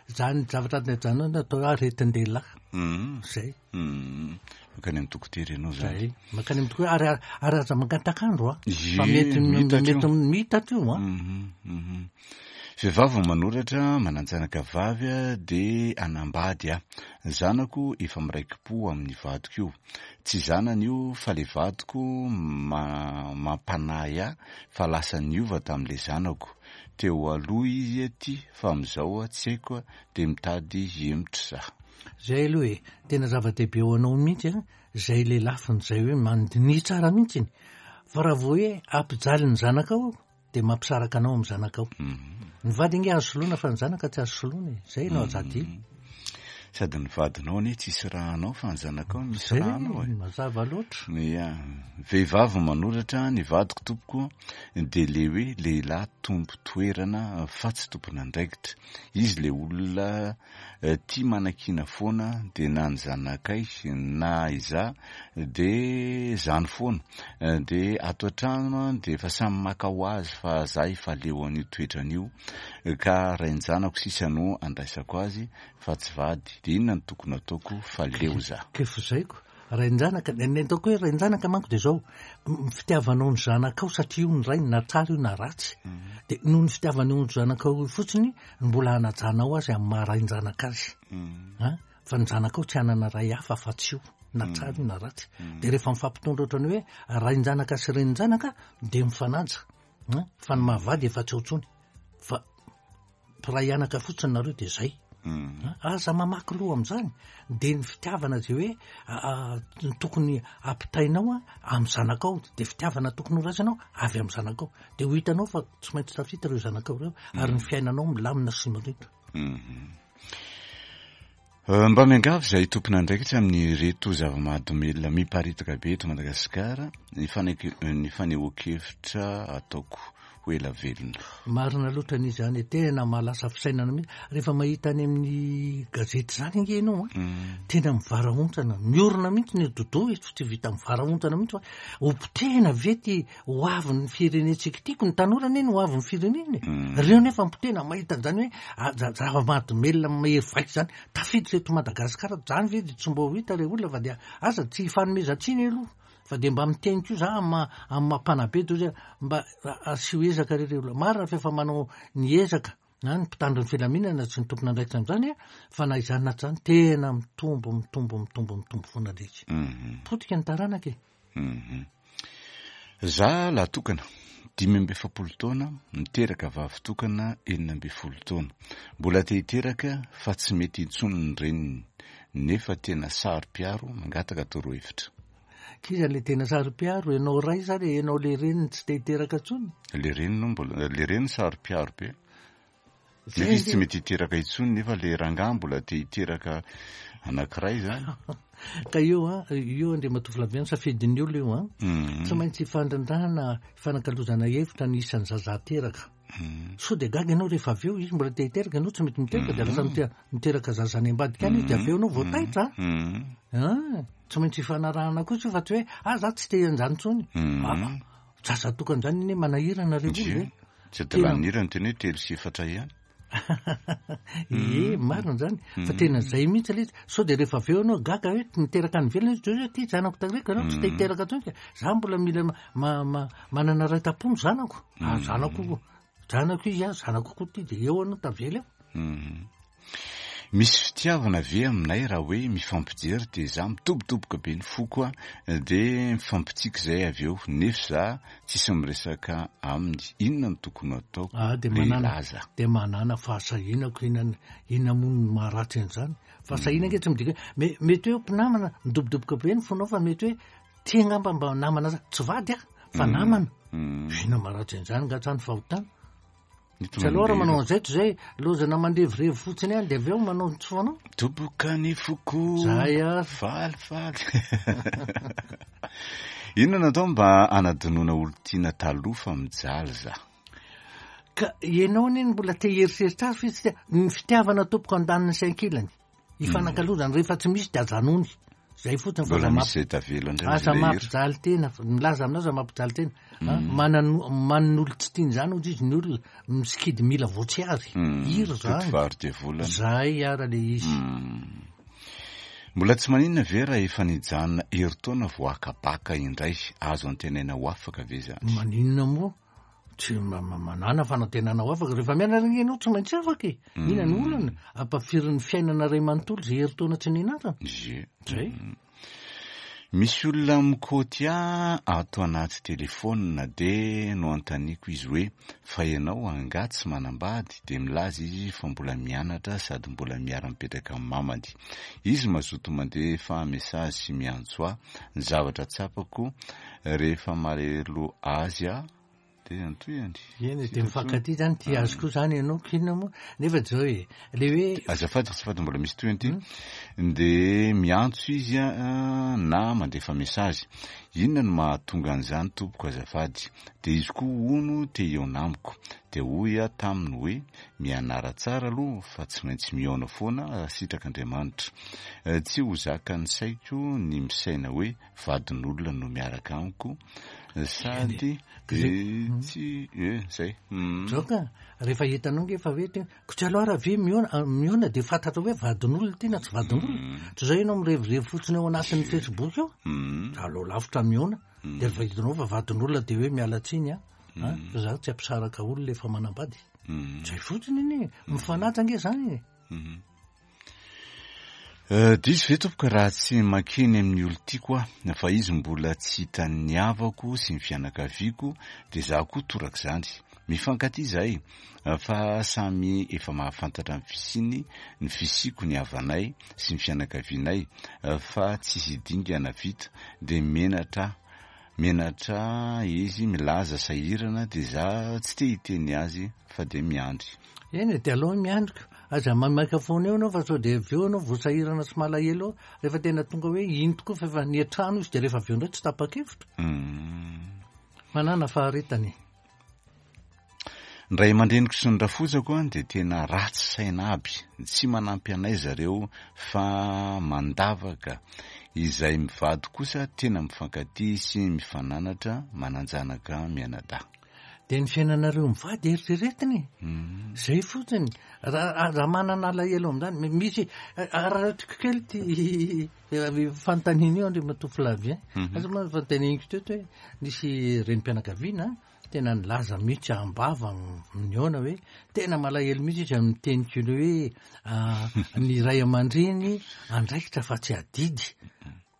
S2: Zany zavatra zany atao hoe aretin-dehilahy. Zay.
S1: Mankany amin'ny dokotera ianao zany.
S2: Zay. Mankany amin'ny dokotera ary ary aza mangatak'andro a. Fa mety mety mitatra io a.
S1: Vehivavy manoratra manan-janaka vavy de anambady a. Zanako efa miraiki-po amin'ny vadiko io. Tsy zanany io fa le vadiko mampanahy ahy fa lasa niova tamin'ilay zanako. Teo aloha izy aty fa amin'izao tsy haiko de mitady hiemotra za.
S2: Zay aloha e, tena zava-dehibe ho anao mihitsy a, zay le lafiny zay hoe mandinika tsara mihitsy. Fa raha vao hoe ampijaly ny zanakao de mampisaraka anao amin'ny zanakao. Ny vady ange azo soloina fa ny zanaka tsy azo soloina e. Zay no azadio.
S1: Sady ny vadinao anie tsisy rahanao fa ny zanakao misy rahanao e.
S2: Mazava loatra.
S1: Ia, vehivavy manoratra ny vadiko tompoko de le hoe lehilahy tompo toerana fa tsy tompon'andraikitra. Izy le olona tia manakiana foana de na ny zanakay na iza de zany foana. De ato an-trano de efa samy maka ho azy fa za efa leo an'io toetrany io ka rain-janako sisa no andraisako azy fa tsy vady. De inona no tokony ataoko fa leo za?
S2: Kefozaiko. Rain-janaka, ny ataoko hoe rain-janaka manko de zao, fitiavanao ny zanakao satria io ny rainy na tsara io na ratsy. De noho ny fitiavanao ny zanakao fotsiny no mbola hanajanao azy amin'ny maha rain-janaka azy. Fa ny zanakao tsy hanana ray hafa fa tsy io, na tsara io na ratsy. De rehefa mifampitondra ohatrany hoe rain-janaka sy renin-janaka de mifanaja. Fa ny mahavady efa tsy ao intsony. Fa mpiray anaka fotsiny nareo de zay. Aza mamaky loha amin'izany. De ny fitiavana zay hoe tokony ampitainao amin'ny zanakao, de fitiavana tokony ho raisinao avy amin'ny zanakao. De ho hitanao fa tsy maintsy tafita ireo zanakao ireo ary ny fiainanao milamina sy mirindra.
S1: Mba miangavy izay tompon'andraikitra amin'ireto zava-mahadomelina miparitaka be eto Madagasikara ny fanehoan-kevitra ataoko. ho ela velona.
S2: Marina loatra ny izany e, tena mahalasa fisainana mihitsy rehefa mahita any amin'ny gazety zany ange ianao a, tena mivarahontsana, miorina mihitsy ny dodo e, tsy vita mivarahontsana mihitsy fa hopotehina ve ty ho avin'ny firenentsika ity? Ko ny tanora anie no ho avin'ny firenena e. Reo nefa mipotehina mahita an'izany hoe ah, za- zava-mahadomelina mahery vaika zany tafiditra eto Madagasikara zany ve de tsy mba ho hita re olona, fa dia aza tsy hifanomezan-tsiny aloha, fa de mba miteny koa za amin'ny amin'ny mampanabe to zay mba asio ezaka re re olona. Marina fa efa manao ny ezaka na ny mpitandro ny filaminana sy ny tompon'andraikitra amin'izany a, fa na izany na tsy izany tena mitombo mitombo mitombo mitombo foana le izy. Potika ny taranaka e.
S1: Mhm. Za lahy tokana, dimy amby efapolo taona, miteraka vavy tokana enina amby folo taona. Mbola te hiteraka fa tsy mety intsony ny reniny, nefa tena saro-piaro, mangataka torohevitra.
S2: K'iza le tena saro-piaro? Ianao ray sa le ianao le reniny tsy te hiteraka intsony?
S1: Le reniny no mbola, le reniny saro-piaro be. Nefa izy tsy mety hiteraka intsony, nefa le rangahy mbola te hiteraka anankiray zany.
S2: Ka io a, io Andriamatoa Flaviano, safidin'ny olona io a.
S1: Mhm.
S2: Tsy maintsy ifandrindrana, ifanakalozana hevitra ny isan'ny zaza teraka.
S1: Mhm.
S2: Sao de gaga ianao rehefa avy eo izy mbola te hiteraka, ianao tsy mety miteraka, de lasa mite- miteraka zaza any ambadika any izy, de avy eo ianao vao taitra.
S1: Mhm.
S2: Ah, tsy maintsy ifanarahana koa io fa tsy hoe ah za tsy te hanjany intsony.
S1: Mhm.
S2: Ah, zaza tokana zany iny manahirana re olona
S1: Ie.
S2: e.
S1: Tsy adalan'ira ny teny hoe telo sy efatra ihany.
S2: Ie, marina zany fa tena zay mihitsy le izy. Sao de rehefa avy eo ianao gaga hoe niteraka any ivelany izy, de hoe ty zanako tareko ianao tsy te hiteraka intsony ka za mbola mila ma- ma- ma- manana ray tam-po ny zanako. Ah, zanako zanako izy a, zanako koa ty, de eo anao tavela eo.
S1: Mhm. Misy fitiavana ve aminay raha hoe mifampijery de za mitobotoboka be ny foko a, de mifampitsiky zay avy eo, nefa za tsisy miresaka aminy. Inona no tokony ataoko?
S2: Ah, de
S1: Le
S2: manana
S1: hilaza.
S2: de manana fahasahiana ko, inona inona moa no maharatsy an'izany? Fahasahiana ange tsy midika hoe me- mety hoe mpinamana midobodoboka be ny fonao, fa mety hoe tia angamba mba namana za, tsy vady ah fa namana.
S1: Mhm.
S2: Inona maharatsy an'izany nga zany fahotana?
S1: Ny
S2: Tsy aloha raha manao
S1: mandeha.
S2: an'izay toy izay lozana mandevirevy fotsiny ihany, de avy eo manao ny tsy fanao.
S1: Doboka ny foko.
S2: Zay ary.
S1: Falifaly. Inona no atao mba hanadinoana olon-tiana taloha fa mijaly za?
S2: Ka ianao anie no mbola te hieritreritra azy fa izy tsy te- ny fitiavana tompoko andaniny sy ankilany. Ifanakalozana, rehefa tsy misy de ajanony. Zay fotsiny fa
S1: Mbola
S2: aza
S1: misy
S2: mampi-
S1: zay tavela indray
S2: aza
S1: izy ilay hira.
S2: mampijaly tena, fa milaza aminao aza mampijaly tena. Ah, manano- manon'olo tsy tiany zany hozy izy, ny olona misikidy mila voatsiary.
S1: Mm.
S2: Hira zany.
S1: Totovary devolana.
S2: Zay ara le izy.
S1: Mm. Mbola tsy maninona ve raha efa nijanona herintaona vao haka-baka indray? Azo antenaina ho afaka ve zany?
S2: Maninona moa? Tsy ma- ma- manana fanantenana ho afaka. Rehefa mianatra ange ianao tsy maintsy afaka e. Inona ny olana? Ampafirin'ny fiainana ray manontolo izay herintaona tsy nianarana.
S1: Ie.
S2: Zay.
S1: Misy olona mikoty ahy ato anaty telefônina, de noanontaniako izy hoe fa ianao angaha tsy manambady? De milaza izy fa mbola mianatra sady mbola miara-mipetraka amin'ny mamany. Izy mazoto mandefa message sy miantso ahy. Ny zavatra tsapako rehefa malahelo azy aho de antohiny.
S2: Eny, de mifankatia zany, tia azy koa zany ianao, k'inona moa? Nefa zao e, le hoe
S1: Azafady, azafady, mbola misy tohiny ity. De miantso izy a, na mandefa message. Inona no mahatonga an'izany tompoko azafady? De izy koa hono te hihaona amiko. De hoy aho taminy hoe mianara tsara aloha fa tsy maintsy mihaona foana sitrak'Andriamanitra. Eh, Tsy ho zakan'ny saiko ny misaina hoe vadin'olona no miaraka amiko sady eh, tsy eh, zay. Mm.
S2: Zao ka, rehefa hitanao nge fa hoe te- ko tsy aloha raha ve mihaona, ah, mihaona de fantatra hoe vadin'olona ty na tsy vadin'olona. Tsy zay ianao mirevirevy fotsiny ao anatin'ny Facebook eo.
S1: Mm.
S2: Aleo lavitra mihaona. De rehefa hitanao fa vadin'olona de hoe miala tsiny a. Ah, fa za tsy ampisaraka olona efa manambady.
S1: Mm.
S2: Zay fotsiny iny e. Mifanaja ange zany e.
S1: Eh, diso ve tompoko raha tsy mankeny amin'ny olon-tiako aho, fa izy mbola tsy hitan'ny havako sy ny fianakaviako, de za koa torak'izany. Mifankatia izahay, fa samy efa mahafantatra ny fisiany, ny fisiako, ny havanay sy ny fianakavianay, fa tsisy dingana vita, de menatra menatra izy milaza sahirana, de za tsy te hiteny azy fa de miandry.
S2: Eny, de aleo miandrika. Aza maimaika foana eo anao fa sao de avy eo anao voasahirana sy malahelo eo. Rehefa tena tonga hoe ino tokoa fa efa niatrano izy, de rehefa avy eo indray tsy tapa-kevitra.
S1: Mm.
S2: Manana faharetany.
S1: Ny ray aman-dreniko sy ny rafozako a dia tena ratsy saina aby, tsy manampy anay zareo fa mandavaka. Izay mivady kosa tena mifankatia sy mifananatra, manan-janaka mianadahy.
S2: Dia ny fiainanareo mivady eritreretiny e.
S1: Mhm.
S2: Zay fotsiny. Raha, raha manana alahelo amin'izany, mi-, misy, araraotiko kely ty fanontaniana io, Andriamatoa Flavien.
S1: Mhm.
S2: Aza moa fanontaniako teo hoe nisy renim-pianakaviana tena nilaza mihitsy am-bava nihaona hoe tena malahelo mihitsy izy amin'ny teny kely hoe, ah, ny ray aman-dreny andraikitra fa tsy adidy.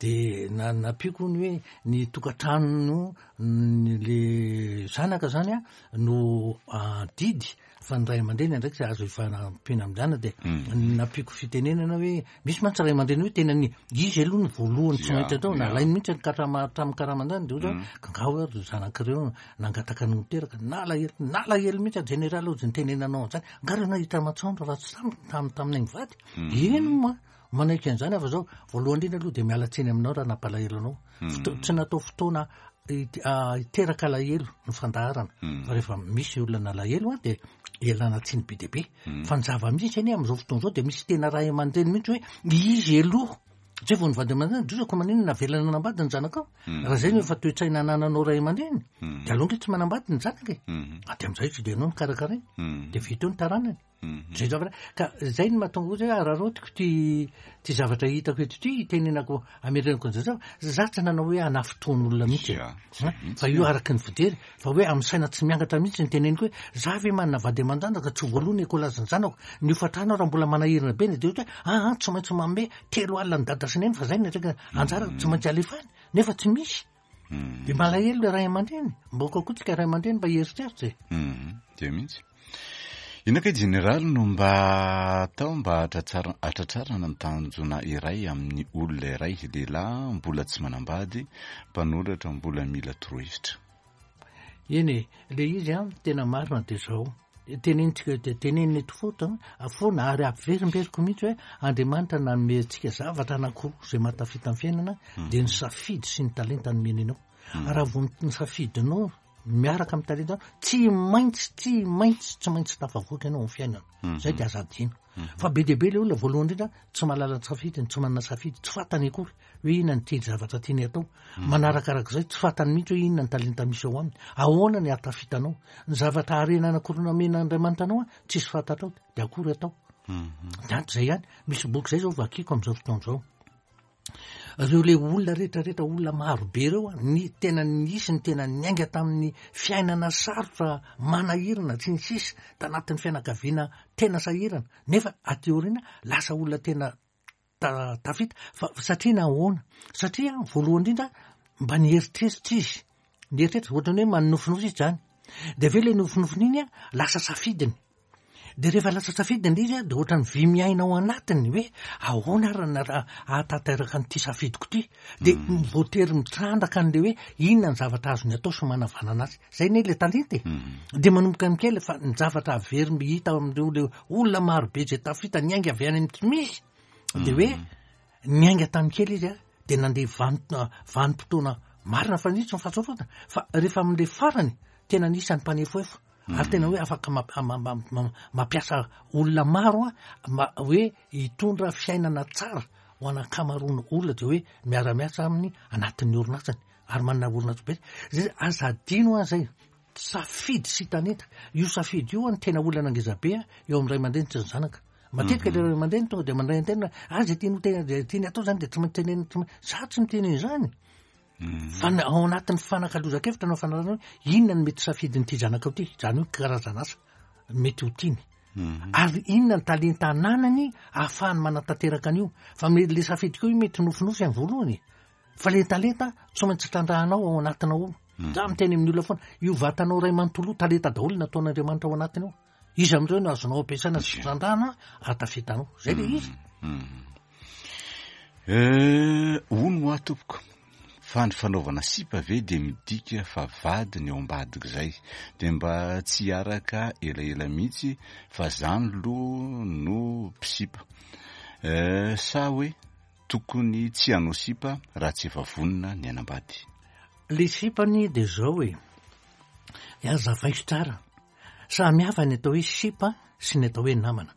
S2: De na-, nampiako ny hoe ny tokantrano ny le zanaka zany a no adidy fa ny ray aman-dreny andraikitra azo ifanampiana amin'izany. De
S1: Mm.
S2: nampiako fitenenana hoe misy mantsy ray aman-dreny hoe tena ny izy aloha ny voalohany tsy
S1: Ya,
S2: maintsy atao,
S1: ya.
S2: nalainy mihitsy ny karama hatramin'ny karaman'izany. De ohatra
S1: Mm.
S2: hoe gangao ary ry zanak'ireo nangataka ny niteraka, nalahelo, nalahelo mihitsy a jeneraly ozy nitenenanao an'izany. Nga reo nahita masoandro raha tsy tam-, tam-, taminay mivady.
S1: Mm.
S2: Eny moa manaiky an'izany afa zao. Voalohany indrindra aloha dia miala tsiny aminao raha nampalahelo anao.
S1: Mm.
S2: Foto-, tsy natao fotoana hit-, ah, hiteraka alahelo ny fandaharana.
S1: Mm.
S2: Fa rehefa misy olona nalahelo a dia ialana tsiny be dia be.
S1: Mm.
S2: Fa ny zava-misy anie amin'izao fotoana izao dia misy tena ray aman-dreny mihitsy hoe izy aloha. Zay vao nivady aman-dreny, dozako maninona navelana nanambady ny zanakao.
S1: Mm.
S2: Raha zay no efa toe-tsaina anananao ray aman-dreny,
S1: Mm.
S2: dia aleo ange tsy manambady ny zanaka e.
S1: Mm.
S2: Ah, dia amin'izay tsy dia ianao no karakarainy.
S1: Mm.
S2: Dia vita eo ny taranany.
S1: Mm.
S2: Zay zavatra, ka zay no mahatonga ozy hoe araraotiko ty, ty zavatra hitako eto ty, itenenako amerenako an'izay zavatra. Za tsy nanao hoe hanafotoan'olona mihitsy e.
S1: Ya,
S2: Ha? Fa io araka ny fijery, fa hoe amin'ny saina tsy miangatra mihitsy ny teneniko hoe za ve manana vady aman-janaka tsy voalohany ekolazin'ny zanako. Ny hofantrano raha mbola manahirana be ny dia ohatra hoe, ah, ah, tsy maintsy manome telo alina ny dada sy neny fa zay ny atreka anjara tsy maintsy alefany, nefa tsy misy.
S1: Mm.
S2: Dia malahelo le ray aman-dreny. Mba kokoa tsika ray aman-dreny mba hieritreritra e.
S1: Mm. Dia mihitsy. Inona kay jeneraly no mba atao mba hatratsara-, hatratrarana ny tanjona iray amin'ny olona iray, lehilahy mbola tsy manambady, mpanoratra mbola mila torohevitra?
S2: Eny e, le izy a, tena marina dia zao. Tenenitsika, de tenenina eto foana, a, foana ary ampiverimberiko mihitsy hoe Andriamanitra nanome antsika zavatra anankiroa izay mahatafita amin'ny fiainana,
S1: Mm.
S2: dia ny safidy sy ny talenta nomeny anao.
S1: Mm.
S2: Raha vao ny safidinao miaraka amin'ny talenta, tsy maintsy, tsy maintsy, tsy maintsy tafavoaka ianao amin'ny fiainana.
S1: Mm-hmm.
S2: Zay dia aza adino.
S1: Mm-hmm.
S2: Fa be dia be le olona voalohany indrindra tsy mahalala ny safidiny, tsy manana safidy, tsy fantany akory hoe inona ny tiany zavatra tiany atao.
S1: Mm-hmm.
S2: Manarakarak'izay tsy fantany mihitsy hoe inona ny talenta misy ao aminy. Ahoana ny ahatafitanao? Ny zavatra harena anankiroa nomen'Andriamanitra anao, tsisy fantatrao, dia akory atao.
S1: Mm-hmm.
S2: Dia ato izay ihany. Misy boky izay izao vakiko amin'izao fotoana izao. Ireo le olona rehetrarehetra, olona maro be ireo, ny tena nisy, ny tena niainga tamin'ny fiainana sarotra manahirana tsy ny sisa, tanatin'ny fianakaviana tena sahirana, nefa aty aoriana lasa olona tena ta-, tafita. Fa satria nahoana? Satria voalohany indrindra mba nieritreritra izy, nieritreritra ohatran'ny hoe manonofinofy izy zany. Dia avy eo le nofinofiny iny a, lasa safidiny. Dia rehefa lasa safidiny ilay izy a, dia ohatran'ny vy miaina ao anatiny hoe ahoana ary na raha ahatanteraka an'ity safidiko ity. Dia
S1: Mm.
S2: voatery mitrandraka an'ilay hoe inona ny zavatra azony atao sy manavanana azy. Zay anie ilay talenta e.
S1: Mm.
S2: Dia manomboka amin'ny kely fa ny zavatra averiny hita amin'ireo le olona maro be izay tafita niainga avy any amin'ny tsy misy. Dia hoe
S1: Mm.
S2: niainga tamin'ny kely izy a, dia nandeha vanim-, vanim-potoana marina fa nisy ny fahatsofana. Fa rehefa amin'ilay farany, tena nisy ny mpanefoefo. Ary tena hoe afaka mamp-, ma-, ma-, ma-, mampiasa olona maro a, ma-, hoe hitondra fiainana tsara ho an'ankamaroan'ny olona, dia hoe miara-miasa aminy anatin'ny orinasany ary manana orinasa be. Zay, aza adino a zay, safidy sy talenta. Io safidy io a, ny tena olana ngeza be a, eo amin'ny ray aman-dreny sy ny zanaka. Matetika
S1: Mhm.
S2: le ray aman-dreny tonga dia mandray an-tena, ah, zay tiany ho tena, zay tiany atao zany dia tsy maintsy tenenina, tsy maintsy. Za tsy miteny an'izany.
S1: Mhm.
S2: Fa ny ao anatin'ny fanakalozan-kevitra na fanarahana hoe inona no mety safidin'ity zanakao ity, izany hoe karazana asa mety ho tiany.
S1: Mhm.
S2: Ary inona ny talenta ananany ahafahany manatanteraka an'io. Fa me-, le safidy koa io mety nofinofy amin'ny voalohany. Fa le talenta tsy maintsy trandrahanao ao anatinao ao.
S1: Mhm.
S2: Za miteny amin'ny olona foana, io vatanao ray manontolo talenta daholo nataon'Andriamanitra ao anatiny ao. Izy amin'ireo no azonao ampiasaina sy
S1: Ie.
S2: trandrahana ahatafitanao. Zay le izy.
S1: Mhm. Eh, hono ho aho tompoko, fa ny fanaovana sipa ve dia midika fa vady ny ao ambadika izay, dia mba tsy hiaraka elaela mihitsy fa zany aloha no mpisipa. Eh, sa hoe tokony tsy hanao sipa raha tsy efa vonona ny hanambady?
S2: Le sipany dia zao e, azavaiko tsara. Samy hafa ny atao hoe sipa sy ny atao hoe namana.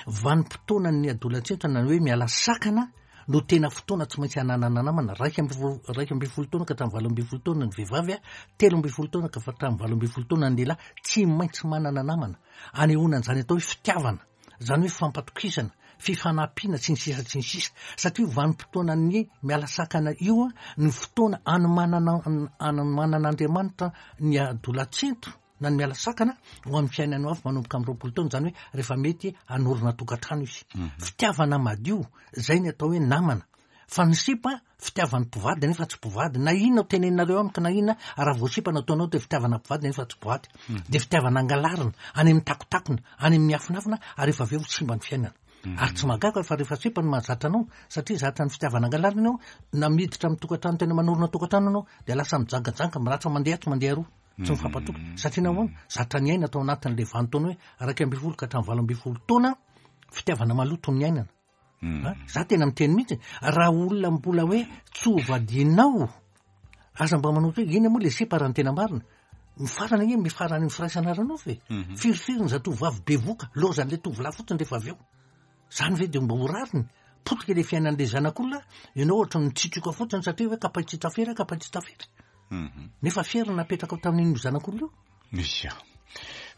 S2: Vanim-potoana ny adolantsentra na ny hoe miala sakana no tena fotoana tsy maintsy hananana namana. Raika amby folo, raika amby folo taona ka hatramin'ny valo amby folo taona ny vehivavy, telo amby folo taona ka hatramin'ny valo amby folo taona ny lehilahy, tsy maintsy manana namana. Anehoana an'izany atao hoe fitiavana, izany hoe fampatokisana, fifanampiana sy ny sisa sy ny sisa. Satria io vanim-potoanan'ny miala sakana io no fotoana anomanana, anomanan'Andriamanitra ny adolatsento na ny miala sakana ho amin'ny fiainany ho avy manomboka amin'ny roapolo taona, izany hoe rehefa mety hanorina tokantrano izy. Fitiavana madio, izay ny atao hoe namana. Fa ny sipa, fitiavan'ny mpivady nefa tsy mpivady. Na inona teneninareo amiko na inona, raha vao sipa no ataonao dia fitiavana mpivady nefa tsy mpivady. Dia fitiavana angalarina, any amin'ny takotakona, any amin'ny afinafina, ary rehefa avy eo simba ny fiainana. Ary tsy mahagaga fa rehefa sipa no mahazatra anao, satria zatra ny fitiavana angalarina ianao, na miditra amin'ny tokantrano tena manorina tokantrano ianao, dia lasa mijangajanga, miratra mandeha atsy mandeha aroa. Tsy mifampatoky. Satria nahoana? Zatra ny aina tao anatin'ilay vanin-taona hoe iraika ambin'ny folo ka hatramin'ny valo ambin'ny folo taona, fitiavana maloto ny ainana. Ha? Za tena miteny mihitsy, raha olona mbola hoe tsy hovadianao, aza mba manao hoe ina moa le sipa raha ny tena marina. Mifarana anie, mifarana ny firaisana ara-nofo e. Firifiry ny zatovovavy bevoka, lozan'ilay tovolahy fotsiny rehefa avy eo. Zany ve dia mba ho rariny? Potika ilay fiainan'ilay zanak'olona, ianao ohatra mitsitroka fotsiny satria hoe kapay tsy tafera, kapay tsy tafera. Nefa fiera napetraka ao tamin'iny zanak'olona io.
S1: Ia.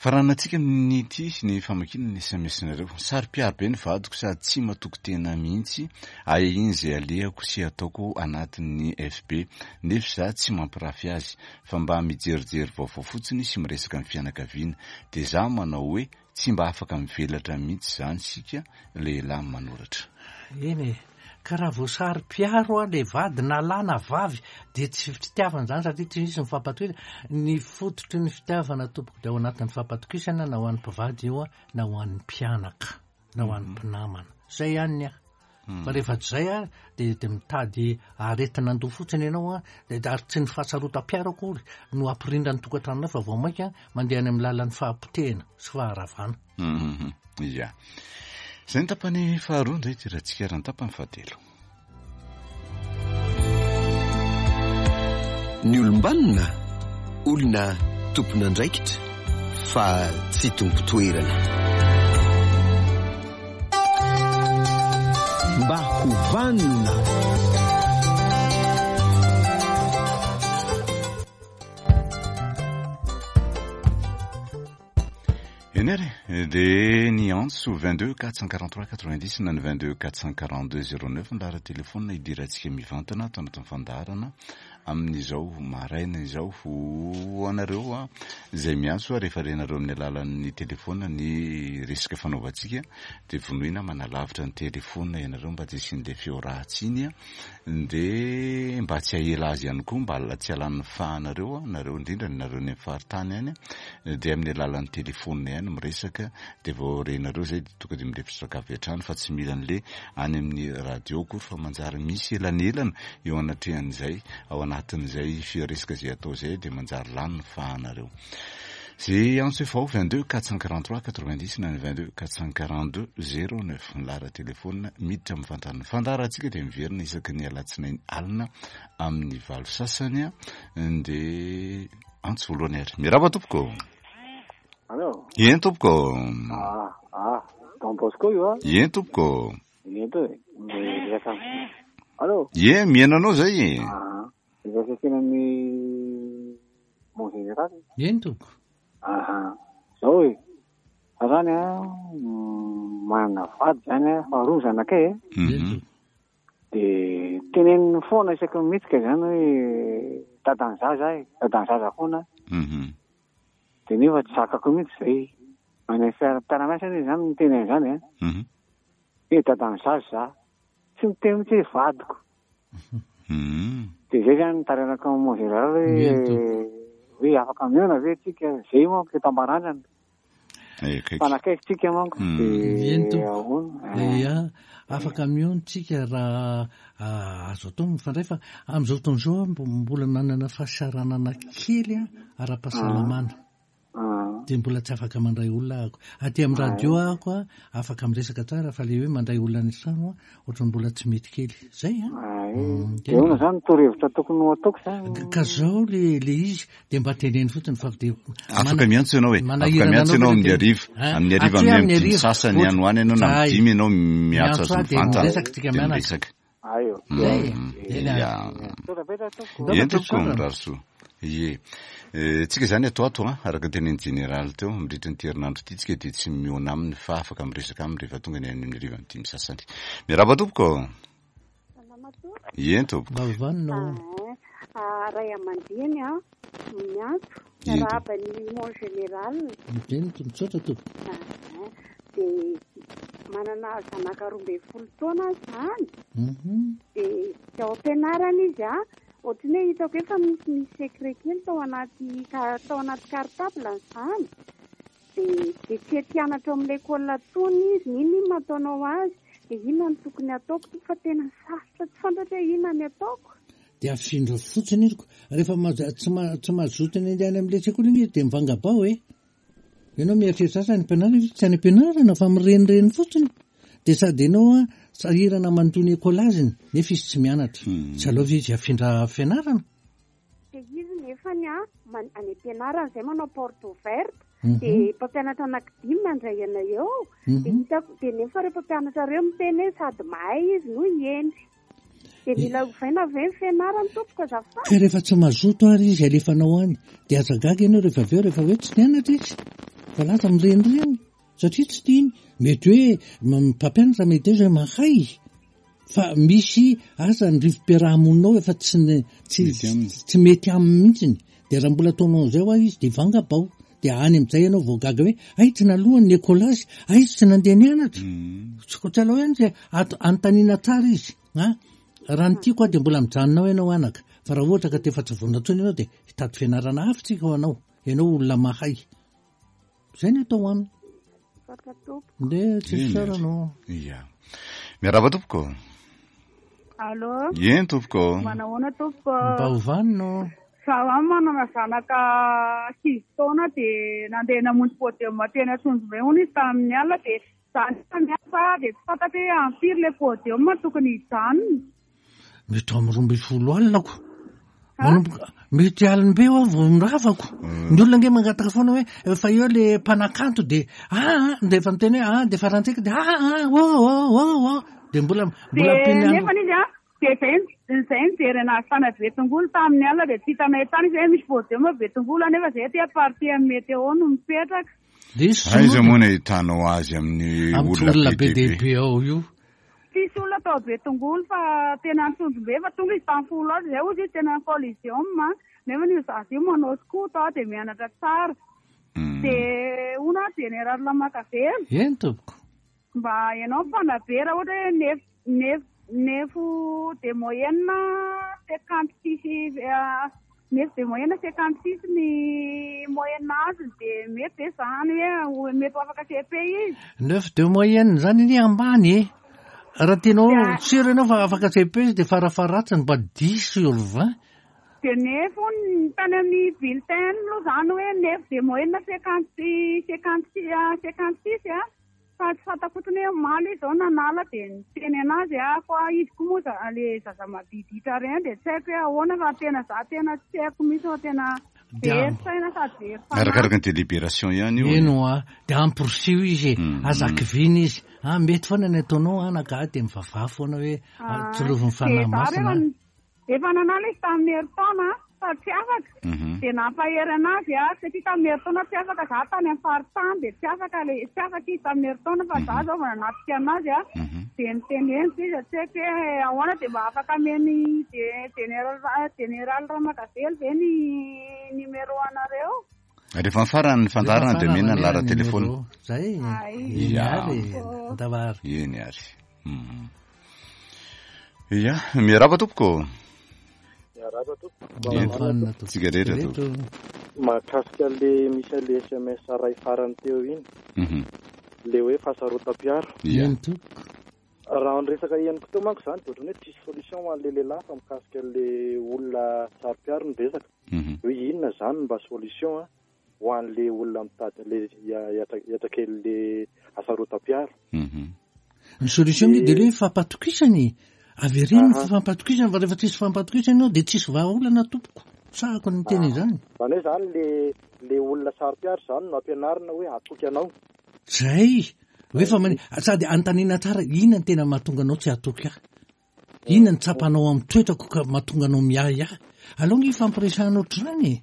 S1: Faranantsika amin'ity ny famakiana ny S M S-nareo. Saro-piaro be ny vadiko sady tsy matoky tena mihitsy, ahiahiany izay alehako sy ataoko anatin'ny F B. Nefa za tsy mampirafy azy, fa mba mijerijery vaovao fotsiny sy miresaka amin'ny fianakaviana. Dia za manao hoe tsy mba afaka mivelatra mihitsy izany sika lehilahy manoratra.
S2: Eny e, ka raha vao saro-piaro a le vady na lahy na vavy dia tsy fitiavana izany satria tsy misy ny fampatokisana. Ny fototry ny fitiavana tompoko dia ao anatin'ny fampatokisana, na ho an'ny mpivady io a, na ho an'ny mpianaka, na ho an'ny mpinamana. Izay ihany ny ahy. Fa rehefa tsy izay a, dia, dia mitady aretina andoha fotsiny ianao a, dia ary tsy ny fahasarotam-piaro akory no hampirindra ny tokantranonao fa vao mainka mandeha any amin'ny lalan'ny fahapotehana sy faharavana.
S1: Mhm. Ia. Izay ny tapany faharoa indray ity raha tsika raha ny tapany fahatelo.
S3: Ny olom-banona, olona tompon'andraikitra fa tsy tompo-toerana. Mba ho vanona.
S1: Eny ary, dia ny antso vingt-deux quatre cent quarante-trois quatre-vingt-dix na ny vingt-deux quatre cent quarante-deux zéro neuf ny laharan-telefônina idirantsika mivantana ato anatin'ny fandaharana amin'izao maraina izao. Ho anareo a, izay miantso a, rehefa renareo amin'ny alalan'ny telefôna ny resaka fanaovantsika dia vonoina manalavitra ny telefôna ianareo mba tsy hisian'ilay feo ratsy iny a, dia mba tsy hahela azy ihany koa, mba tsy halan'ny fahanareo a, nareo indrindra nareo any amin'ny faritany any a, dia amin'ny alalan'ny telefôna ihany miresaka dia vao renareo izay dia tonga dia mirefitra avy hatrany fa tsy mila an'le any amin'ny radio akory fa manjary misy elanelana eo anatrehan'izay, ao anatin'izay firesaka izay atao izay dia manjary lany ny fahanareo. Zay antso efa ao vingt-deux quatre cent quarante-trois quatre-vingt-dix na ny vingt-deux quatre cent quarante-deux zéro neuf ny laharan-telefônina miditra amin'ny fantan'ny fandaharantsika dia miverina isaky ny alatsinainy alina amin'ny valo sasany a, dia antso voalohany ary. Miarahaba tompoko.
S4: Allô?
S1: Eny tompoko.
S4: Ah, ah, Don Bosco io a?
S1: Eny tompoko.
S4: Eny to e. Miresaka. Allô?
S1: Eny, mihaino anao zay.
S4: Ah, miresaka kely amin'ny mon général.
S2: Eny tompoko.
S4: Aha. Zao e. Fa zany a, manana vady zany a, fa roa zanakay e.
S1: Mhm.
S4: Dia teneniny foana isaky ny mihetsika zany hoe dadan'ny zaza e, dadan'ny zaza foana.
S1: Mhm.
S4: Dia nefa tsy zakako mihitsy zay. Any amin'ny fiara mpiara-miasa anie zany miteny an'izany e.
S1: Mhm.
S4: Hoe dadan'ny zaza za. Tsy miteny mihitsy hoe vadiko.
S1: Mhm.
S4: Dia zay zany nitarenako amin'ny mon général hoe
S2: Eny tompoko.
S4: hoe afaka mihaona ve tsika? Zay manko eto Ambarandrana.
S1: Eh, akaiky.
S4: Mpanakaiky tsika manko.
S1: Mm.
S4: Dia
S2: Eny tompoko.
S4: ahoana?
S2: Ia, afaka mihaona tsika raha, ah, azo atao mifandray fa amin'izao fotoana izao aho mbo-, mbola nanana fahasahiranana kely a, ara-pahasalamana.
S4: Ah.
S2: Dia mbola tsy afaka mandray olona ahako. Aty amin'ny radio ahako a, afaka miresaka tsara, fa le hoe mandray olona any an-trano a, ohatran'ny mbola tsy mety kely. Zay a.
S4: Ay,
S2: Mm,
S4: dia ahoana zany torohevitra tokony ho ataoko zany?
S2: Ka zao le le izy dia mba teneno fotsiny fa dia
S1: Afaka miantso ianao e, afaka
S2: manahirana
S1: miantso
S2: anao
S1: ianao amin'ny
S2: ve
S1: hariva,
S2: Hein?
S1: amin'ny hariva
S2: Aty
S1: amin'ny
S2: amin'ny
S1: dimy
S2: hariva.
S1: sasany any ho any ianao na
S2: Zay.
S1: amin'ny dimy ianao miantso
S2: Miantso
S1: azy
S2: ahy dia
S1: mivantana
S2: miresaka tsika
S1: dia
S2: mianaka.
S1: miresaka.
S4: Ayo.
S2: Zay.
S1: Mm,
S2: Eny ary.
S1: ya.
S4: Misaotra betsaka tompoko.
S2: Ndao
S1: Eny tompoko,
S2: fa
S1: mirary soa. Ie. Eh, tsika zany ato ato a, araka ny tenenin'ny jeneraly teo, mandritra ny herinandro ity tsika dia tsy mihaona aminy fa afaka miresaka aminy rehefa tonga ny any amin'ny hariva amin'ny dimy sasany. Miarahaba tompoko. Eny tompoko.
S2: Mba hovanina o.
S5: Ah, ray aman-dreny a miantso
S1: Eny
S5: miarahaba ny mon général.
S2: Eny to- misaotra tompoko.
S5: Ah, dia manana zanaka roa ambin'ny folo taona zany,
S2: Mhm.
S5: dia tsy ao am-pianarana izy a, ohatran'ny hoe hitako efa misy misy secret kely tao anaty ka- tao anaty cartable zany, dia dia tsy ety-hianatra ao amin'ny l'école tony izy. N'inona inona ataonao azy, dia inona no tokony ataoko to, fa tena sarotra, tsy fantatra hoe inona ny ataoko.
S2: Dia afindra fotsiny izy ko. Rehefa maza- tsy ma- tsy mazoto ny andeha any amin'ilay sekoly iny izy dia mivangabao e. Ianao mieritreritra asa any am-pianarana izy, tsy any am-pianarana fa mirenireny fotsiny. Dia sady ianao a sahirana mandoa ny écolage-ny nefa izy tsy mianatra. Tsy aleo ve izy afindra fianarana?
S5: Dia izy nefany a man- any am-pianarana izay manao porte ouverte,
S2: Mhm.
S5: dia mpampianatra anankidimy mandray anay eo, dia
S2: Mhm.
S5: hitako dia nefa ireo mpampianatra ireo miteny hoe sady mahay izy no hendry, dia mila ovaina ve ny fianarany tompoko azafady?
S2: Ka rehefa tsy mazoto ary izy alefanao any dia aza gaga ianao rehefa avy eo rehefa hoe tsy nianatra izy fa lasa mirenireny satria tsy tiany. Mety hoe m- mpampianatra mety hoe zay mahay fa misy asa ny rivo-piarahamonina ao efa tsy ny- tsy
S1: Mety aminy.
S2: tsy mety aminy mihitsiny. Dia raha mbola ataonao an'izay hoa izy dia vangabao, dia any amin'izay ianao vao gaga hoe ay tsy nalohany ny écolage, ay izy tsy nandeha nianatra. Tsy ko- tsy alao ihany zay ato- anontaniana tsara izy a. Raha ny tiako aho dia mbola mijanona ao ianao anaka, fa raha ohatra ka te efa tsy vonona intsony ianao dia hitady fianarana hafa tsika ho anao, ianao olona mahay. Zay ny atao aminy.
S5: Misaotra tompoko.
S2: Ndeha tsy
S1: Eny
S2: fisaorana
S1: ary.
S2: o.
S1: Ia. Miarahaba tompoko.
S6: Allô,
S1: Eny tompoko.
S6: manahoana tompoko?
S2: Mba hovanina o.
S6: Zaho any manana zanaka sivy taona, dia nandeha namonjy podium teny Antsonjombe hono izy tamin'ny alina, dia za nefa miasa, dia tsy fantatro hoe amin'ny firy ilay podium tokony hijanona.
S2: Mety amin'ny roa ambin'ny folo alina ko. Manomboka mety alim-be aho vao miravako. Ny olona ange mangataka foana hoe fa eo le mpanakanto dia ah ah, dia efa miteny hoe ah dia farantsika dia ah ah oh oh oh oh dia mbola mbola
S6: Dia
S2: ampiany andro.
S6: nefa izy a, dia zay zay nijery anazy tany Betongolo tamin'ny alina, dia tsy hitanay tany izy hoe misy podium Betongolo, nefa zay aty partie amin'ny météo no mipetraka.
S2: Diso
S1: Aiza moa no ahitanao azy amin'ny
S2: amin'ny
S1: olona
S2: olona
S1: be
S2: be
S1: dia
S2: dia
S1: be?
S2: be ao io.
S6: Tsisy olona tao Betongolo fa tena Antsonjombe, fa tonga izy tamin'ny folo azy zay hozy izy tena Coliseum, nefa io zaza io manao skoto a, dia mianatra tsara.
S1: Mm.
S6: Dia hono a général Makavelo,
S2: Eny tompoko.
S6: mba ianao mpanabe, raha ohatra hoe neuf neuf neuf de moyenne cinquante six, neuf de moyenne cinquante six ny moyenne azony, dia mety ve zany hoe mety ho afaka C P izy?
S2: Neuf de moyenne zany iny ambany e. Raha tianao
S6: Dia-
S2: sûr ianao fa afaka C P izy dia farafaharatsiny mba dix sur vingt.
S6: Dia neuf hono tany amin'ny bulletin aloha zany hoe neuf de moyenne cinquante cinquante six cinquante six a, fa tsy fantako fotsiny hoe omaly izy zao nanala dia niteny anazy a, fa izy koa moa za- le zaza madiditra reny, dia tsy haiko hoe ahoana fa tena za tena tsy haiko mihitsy fa tena
S2: Dia-
S6: very saina sady very fanahy.
S1: Arakaraka ny délibération ihany io.
S2: Eny hoa, dia amporisio izy e,
S1: Mm.
S2: aza kiviana izy. Ah, mety foana ny ataonao anaka ah, dia mivavaha foana hoe ah, tsilovin'ny fanahy
S6: Dia za
S2: masina.
S6: rehefa efa nanala izy tamin'ny herintaona fa tsy afaka,
S1: Mhm.
S6: dia nampahery anazy a, satria tamin'ny herintaona tsy afaka, za tany amin'ny faritany dia tsy afaka le tsy afaka izy tamin'ny herintaona, fa za zao vao nanatrika anazy a,
S1: Mhm.
S6: dia niteneniko izy, tsy haiko hoe ahoana, dia mba afaka ameny de- général général Ramakavelo ve ny numéro anareo?
S1: Rehefa mifarana ny fandaharana dia omena ny
S2: Rehefa
S1: laharan telefona.
S2: numéro. Zay.
S6: Ay.
S2: Eny
S1: Ya.
S2: ary, andavary.
S1: Eny ary. Mhm. Ia, miarahaba tompoko.
S7: Miarahaba tompoko.
S1: Eny.
S2: Mba hovanina tompoko.
S1: Tsika rehetra tompoko.
S7: Mahakasika le misy le S M S ray farany teo iny,
S1: Mhm.
S7: le hoe fahasarotam-piaro.
S1: Ia.
S2: Eny tompoko.
S7: Raha ny resaka henoko teo manko zany dia ohatran'ny hoe tsisy solution ho an'le lehilahy fa mikasika le olona saro-piaro ny resaka.
S1: Mhm.
S7: Hoe inona zany mba solution a? ho an'le olona mitady le hiatrakely hasarotam-piaro?
S2: Ny solution nge de le hoe fampatokisana e. Avereno ny fampatokisana, fa rehefa tsisy fampatokisana ianao de tsisy vahaolana tompoko. Sahako ny miteny izany.
S7: Zany hoe zany le le olona saro-piaro zany no ampianarina hoe hatoky anao.
S2: Zay. Hoe fa mani- sady anontaniana tsara, inona ny tena mahatonga anao tsy hatoky ahy? Inona ny tsapanao amin'ny toetrako ka mahatonga anao miahy ahy? Aleo nge ifampiresahana ohatr'izany e.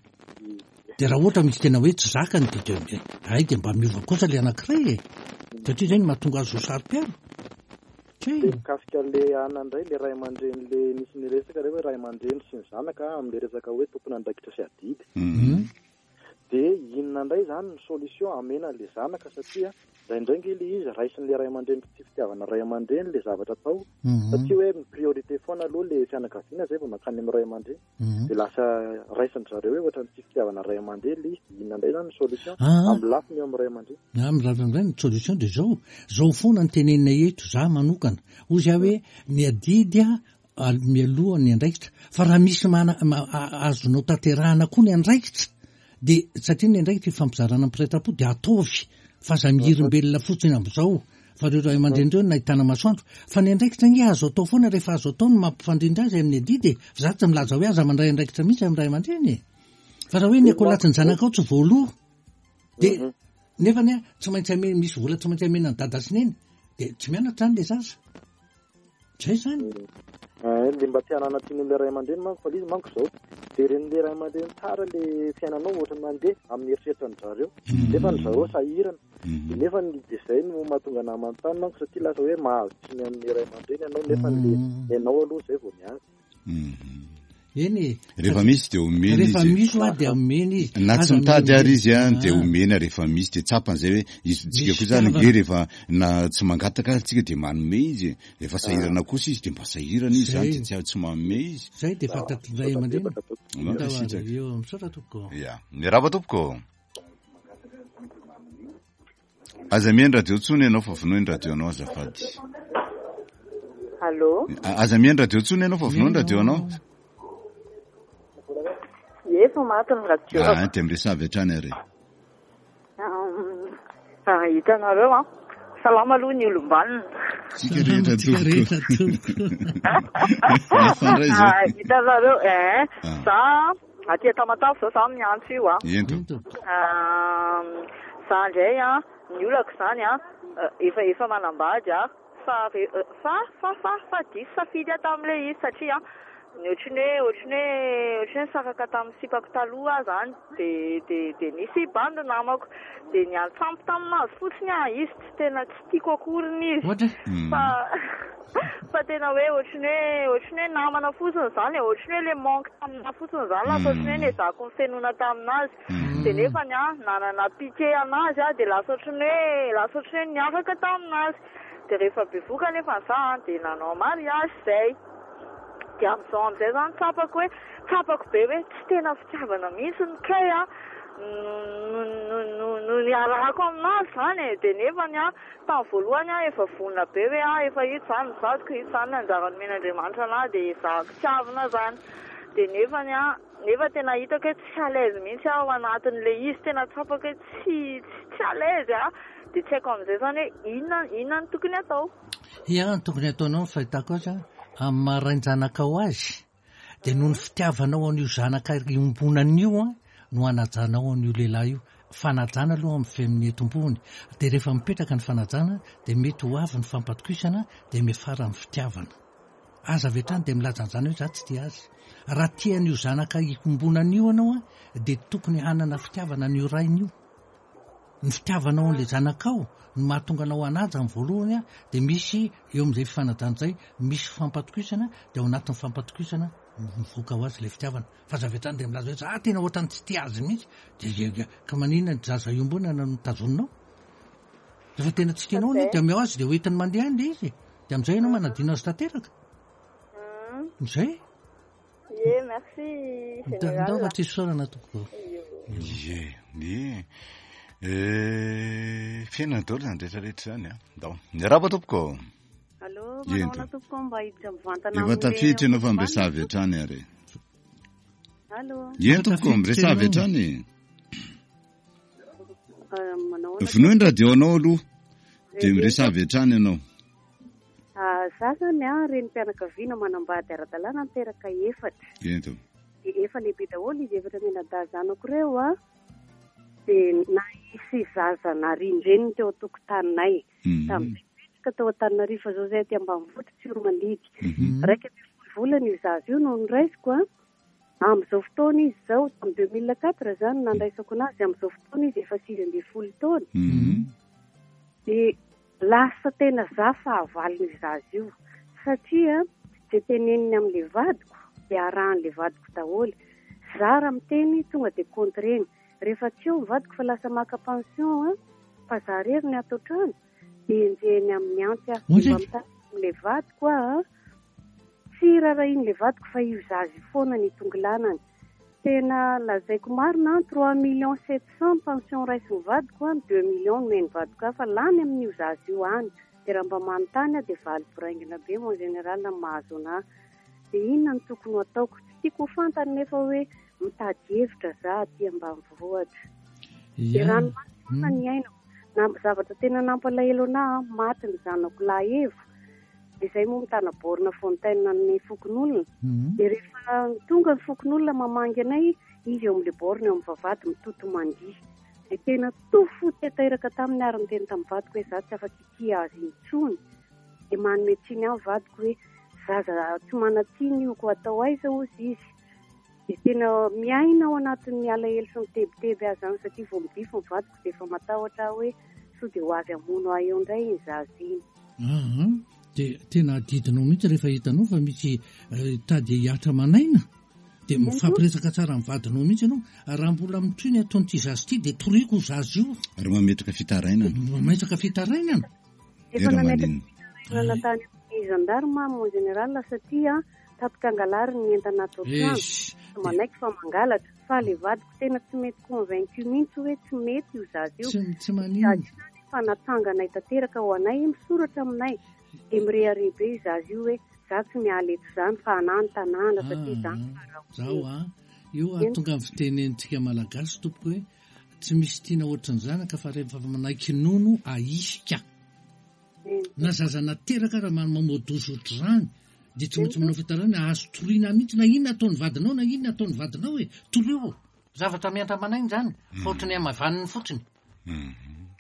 S2: De raha ohatra misy tena hoe tsy zakany de de ay de mba miova kosa le anankiray e. Satria zay no mahatonga azy ho saro-piaro.
S7: De mikasika le ana indray, le ray aman-dreny, le nisy niresaka re hoe ray aman-dreny sy ny zanaka amin'le resaka hoe tompon'andraikitra sy adidy. De inona indray zany ny solution amena le zanaka, satria indraindray nge le izy raisin'le ray aman-dreny tsy fitiavana ray aman-dreny le zavatra atao, satria hoe ny priorité foana aloha le fianakaviana zay vao mankany amin'ny ray aman-dreny, de lasa raisin-dry zareo hoe ohatran'ny tsy fitiavana ray aman-dreny le izy. De inona indray zany ny solution amin'ny lafiny eo amin'ny ray aman-dreny?
S2: Amin'ny lafiny indray ny solution de zao, zao foana ny tenenina eto, za manokana ozy aho hoe ny adidy a mialoha ny andraikitra, fa raha misy mana azonao tanterahana koa ny andraikitra, de satria ny andraikitra ifampizarana amin'ny de ataovy, fa aza mihirimbelona fotsiny am'izao, fa reo ray aman-dreny reo nahitana masoandro, fa ny andraikitra nge azo atao foana rehefa azo atao ny mampifandrindra azy amin'ny adidy e. Fa za tsy milaza hoe aza mandray andraikitra mihitsy amin'ny ray aman-dreny e. Fa raha hoe ny akolatsy ny zanakao tsy voaloha, de nefa ny a tsy maintsy ame misy vola tsy maintsy amena ny dada sy neny, de tsy mianatra zany le zaza. Zay zany.
S7: Le mba tsy hanana tsiny amin'ilay ray aman-dreny manko, fa le izy manko zao de ren'le ray aman-dreny tsara le fiainanao ohatran'ny mandeha amin'ny eritreritran-dry zareo, nefa ny zareo sahirana, de nefa ny de zay no mahatonga anah manontany manko, satria lasa hoe mahazo tsiny amin'ny ray aman-dreny ianao, nefa le ianao aloha zay vao miazy.
S2: Eny e.
S1: Rehefa misy de omena izy.
S2: Rehefa misy hoa de omena izy.
S1: Na tsy mitady ary izy a de omena rehefa misy, de tsapan'izay hoe izy tsika koa zany nge rehefa na tsy mangataka ary tsika de manome izy, rehefa sahirana kosa izy de mba sahirana izy zany, de tsy tsy manome izy.
S2: Zay de fantatry ny ray aman-dreny. Misaotra tompoko.
S1: Ya, miarahaba tompoko. Aza mihaino radio intsony ianao fa vonoy ny radio anao azafady.
S8: Allô?
S1: Aza mihaino radio intsony ianao fa vonoy ny radio anao.
S8: Efa maty ny radio.
S1: Ah, de miresaha avy hatrany ary.
S8: Ah, hitanareo an. Salama aloha ny olom-banona.
S1: Tsika rehetra tompoko. Mifandray zao.
S8: Ah, hitanareo, eh, za aty Tamatave zao za miantso io a.
S1: Ento.
S8: Ah, za indray a, ny olako zany a, efa efa manambady a, fa fa fa fa fa diso safidy aho tamin'ilay izy, satria ny ohatran'ny hoe ohatran'ny hoe ohatran'ny hoe nisaraka tamin'ny sipako taloha aho zany, de de de nisy bandy namako, de niantsampy taminazy fotsiny aho, izy tsy tena tsy tiako akory izy, fa fa tena hoe ohatran'ny hoe ohatran'ny hoe namana fotsiny zany e, ohatran'ny hoe le manque taminahy fotsiny zany, lasa ohatran'ny hoe nezahako nifenoana taminazy, de nefa ny aho nanana pitié anazy aho, de lasa ohatran'ny hoe lasa ohatran'ny hoe niaraka taminazy, de rehefa bevoka nefa za de nanao mariage zay. De amin'izao amin'izay zany tsapako hoe tsapako be hoe tsy tena fitiavana mihitsy ny kay a no no no no niarahako aminazy zany e. De nefa ny aho tamin'ny voalohany aho efa vonona be hoe ah efa ito zany ny vadiko, ito zany ny anjara nomen'Andriamanitra anahy, de ezahako tiavina zany. De nefa ny aho nefa tena hitako hoe tsy à l'aise mihitsy aho ao anatin'le izy, tena tsapako hoe tsy tsy à l'aise aho, de tsy haiko amin'izay zany hoe inona inona no tokony atao.
S2: Ia, ny tokony ataonao ny fahitako azy amin'ny maha rain-janakao azy, de noho ny fitiavanao an'io zanaka iombonana io a no anajanao an'io lehilahy io. Fanajana aloha amin'ny femin'ny tompony, de rehefa mipetraka ny fanajana de mety ho avy ny fampatokisana, de miafara amin'ny fitiavana. Aza avy hatrany de milaza an'izany hoe za tsy tia azy. Raha tia an'io zanaka iombonana io ianao a, de tokony hanana fitiavana an'io rainy io. Ny fitiavanao an'ilay zanakao no mahatonga anao hanaja amin'ny voalohany a, de misy eo amin'izay fifanajana izay misy fampatokisana, de ao anatin'ny fampatokisana mivoaka ho azy ilay fitiavana. Fa aza avy hatrany de milaza hoe za tena ohatran'ny tsy tia azy mihitsy, de ka maninona ny zaza iombonana no tazoninao? Rehefa tena tsy tianao anie de omeo azy, de hoentiny mandeha any le izy, de amin'izay ianao manadino azy tanteraka. Zay.
S8: Ie, merci général.
S2: Ndao fa tsy isaorana tompoko.
S1: Ie, ie. Eh, fiainana daholo zany rehetrarehetra zany a. Ndao. Miarahaba tompoko.
S5: Allô, manao ahoana tompoko, mba hiditra mivantana
S1: Efa tafiditra ianao fa miresaha avy hatrany ary.
S5: Allô.
S1: Eny tompoko, miresaha avy hatrany.
S5: Manao ahoana?
S1: Vonoy ny radio-nao aloha, dia miresaha avy hatrany ianao.
S5: Za zany a, renim-pianakaviana manambady ara-dalàna niteraka efatra.
S1: Ento.
S5: Dia efa lehibe daholo izy efatra mianadahy zanako ireo a. Dia nahisy zaza narindreniny teo an-tokotaninay. Tamin'izay nipetraka tao Antananarivo fa zao zay aty ambanivohitra Tsiromandidy. Iraika ambin'ny folo volana io zaza io no noraisiko a. Amin'izao fotoana izy izao, tamin'ny deux mille quatre zany nandraisako anazy, amin'izao fotoana izy efa sivy ambin'ny folo taona. Dia lasa tena za fahavalon'io zaza io satria zay teneniny amin'ilay vadiko dia arahan'ilay vadiko daholo. Za raha miteny tonga dia contre-ny. Rehefa tsy eo ny vadiko fa lasa maka pension a, fa za rery ny ato an-trano dia enjehiny amin'ny antsy aho.
S2: Ohatry?
S5: Mba mitady amin'ilay vadiko aho a, tsy raharahian'ilay vadiko fa io zaza io foana ny tongolanany. Tena lazaiko marina, trois millions sept cents pension raisin'ny vadiko a, deux millions nomeny vadiko aho fa lany amin'io zaza io any. Dia raha mba manontany aho dia valy boraingina be mon général ny mahazo anahy. Dia inona no tokony ho ataoko? Tsy tiako ho fantany nefa hoe mitady hevitra za aty ambanivohitra. Dia
S2: Ya.
S5: ranomasy foana ny ainako. Na zavatra tena nampalahelo anahy, maty ny zanako lahy Evo. Dia izay moa mitana borne fontaine ny fokonolona. Dia rehefa tonga ny fokonolona mamangy anay, izy eo amin'ilay borne eo amin'ny vavahady mitoto mandihy. Dia tena tofo tanteraka taminy ary niteny tamin'ny vadiko hoe za tsy afaka hitia azy intsony. Dia manome tsiny ahy ny vadiko hoe zaza tsy manan-tsiny io, koa atao aiza hozy izy. Dia tena miaina ao anatin'ny alahelo sy ny tebiteby aho zany satria vao midify ny vadiko dia efa matahotra aho hoe sao dia ho avy hamono ahy eo indray iny zaza iny.
S2: Aha. Dia tena adidinao mihitsy rehefa hitanao fa misy, eh, tady hiatra manaina, dia mifampiresaka tsara amin'ny vadinao mihitsy ianao. Raha mbola mitohy ny ataon'ity zaza ity dia toriko io zaza io.
S1: Ary mametraka fitarainana.
S2: Mametraka fitarainana.
S5: Efa
S1: Dia raha
S5: nametraka
S1: maninona?
S5: fitarainana tany amin'ny gendarme mon général satria tapitra angalary ny entana ato an-trano.
S2: Eish.
S5: Tsy manaiky fa mangalatra. Fa le vadiko tena tsy mety convaincu mihitsy hoe tsy mety io zaza io.
S2: Tsy, tsy maninona.
S5: Zaza io zany efa natsanganay tanteraka ho anay, misoratra aminay. Dia mirehareha be io zaza io hoe za tsy miala eto izany fa anà ny tanàna satria
S2: Ah,
S5: zany fa raha
S2: Zaho a, io a tonga amin'ny fitenentsika malagasy tompoko hoe tsy misy tiana ohatry ny zanaka fa rehefa manaiky nono ahisika. Na zaza nateraka raha ma-, mamodozo ohatr'izany dia tsy maintsy manao fitarainana, azo toriana mihitsy na inona ataon'ny vadinao na inona ataon'ny vadinao e, torio. Zavatra miantra manaina izany, fa ohatry ny hamavaniny fotsiny.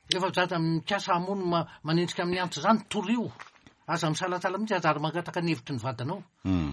S2: Rehefa zaza mikasa hamono ma-, manenjika amin'ny antsy izany, torio. Aza misalasala mihitsy, aza ary mangataka ny hevitry ny vadinao.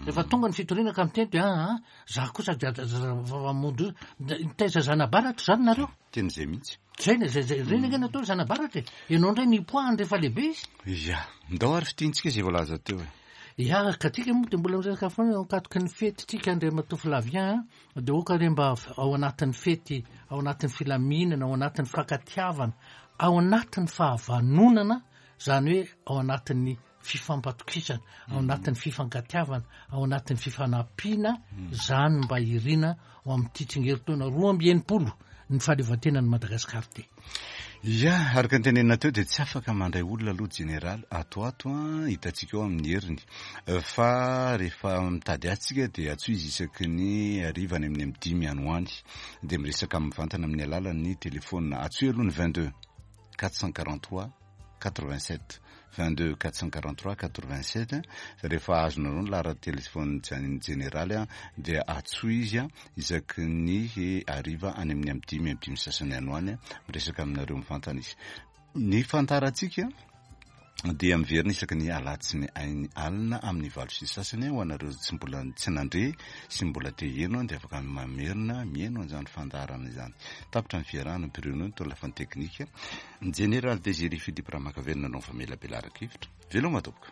S2: Rehefa tonga ny fitoriana ka miteny dia, ah, ah, za kosa dia aza, aza, aza, mamono, nitaiza zana-baratra izany nareo?
S1: Teny izay mihitsy.
S2: Zay, zay, zay, ireny ange natao zana-baratra e. Ianao indray nipoahany rehefa lehibe izy.
S1: Ya, ndao ary fitiantsika izay voalaza teo e.
S2: Ya, ka tsika moa dia mbola miresaka foana eo ankatoky ny fety tsika Andriamatoa Flavien, dia oka re mba ao anatin'ny fety, ao anatin'ny filaminana, ao anatin'ny fankatiavana, ao anatin'ny fahavanonana, izany hoe ao anatin'ny fifampatokisana, ao anatin'ny fifankatiavana, ao anatin'ny fifanampiana, izany mba irina ho amin'ity tsingerin-taona roa amby enimpolo ny fahaleovantenan'i Madagasikara ity.
S1: Ya, araka ny tenenina teo dia tsy afaka mandray olona aloha jeneraly ato ato a, hitantsika eo amin'ny heriny. Fa rehefa mitady azy tsika dia antsoy izy isaky ny hariva any amin'ny amin'ny dimy any ho any. Dia miresaka mivantana amin'ny alalan'ny telefona. Antsoy aloha ny vingt-deux quatre cent quarante-trois quatre-vingt-sept. vingt-deux quatre cent quarante-trois quatre-vingt-sept. Rehefa azonareo ny laharan'ny telefona jeneraly a, dia antsoy izy a, isaky ny hariva any amin'ny amin'ny dimy amin'ny dimy sasany any ho any a, miresaka aminareo mivantana izy. Ny fantarantsika dia miverina isaky ny alatsinainy ainy alina amin'ny valo sy sasany ho anareo tsy mbola tsy nandre sy mbola te heno dia afaka mamerina mihaino an'izany fandaharana izany. Tapitra ny fiarahana Bruno ny tao lafiny teknika. Ny Général Désiré Philippe Ramakavelona nanao famelabelaran-kevitra. Veloma tompoko.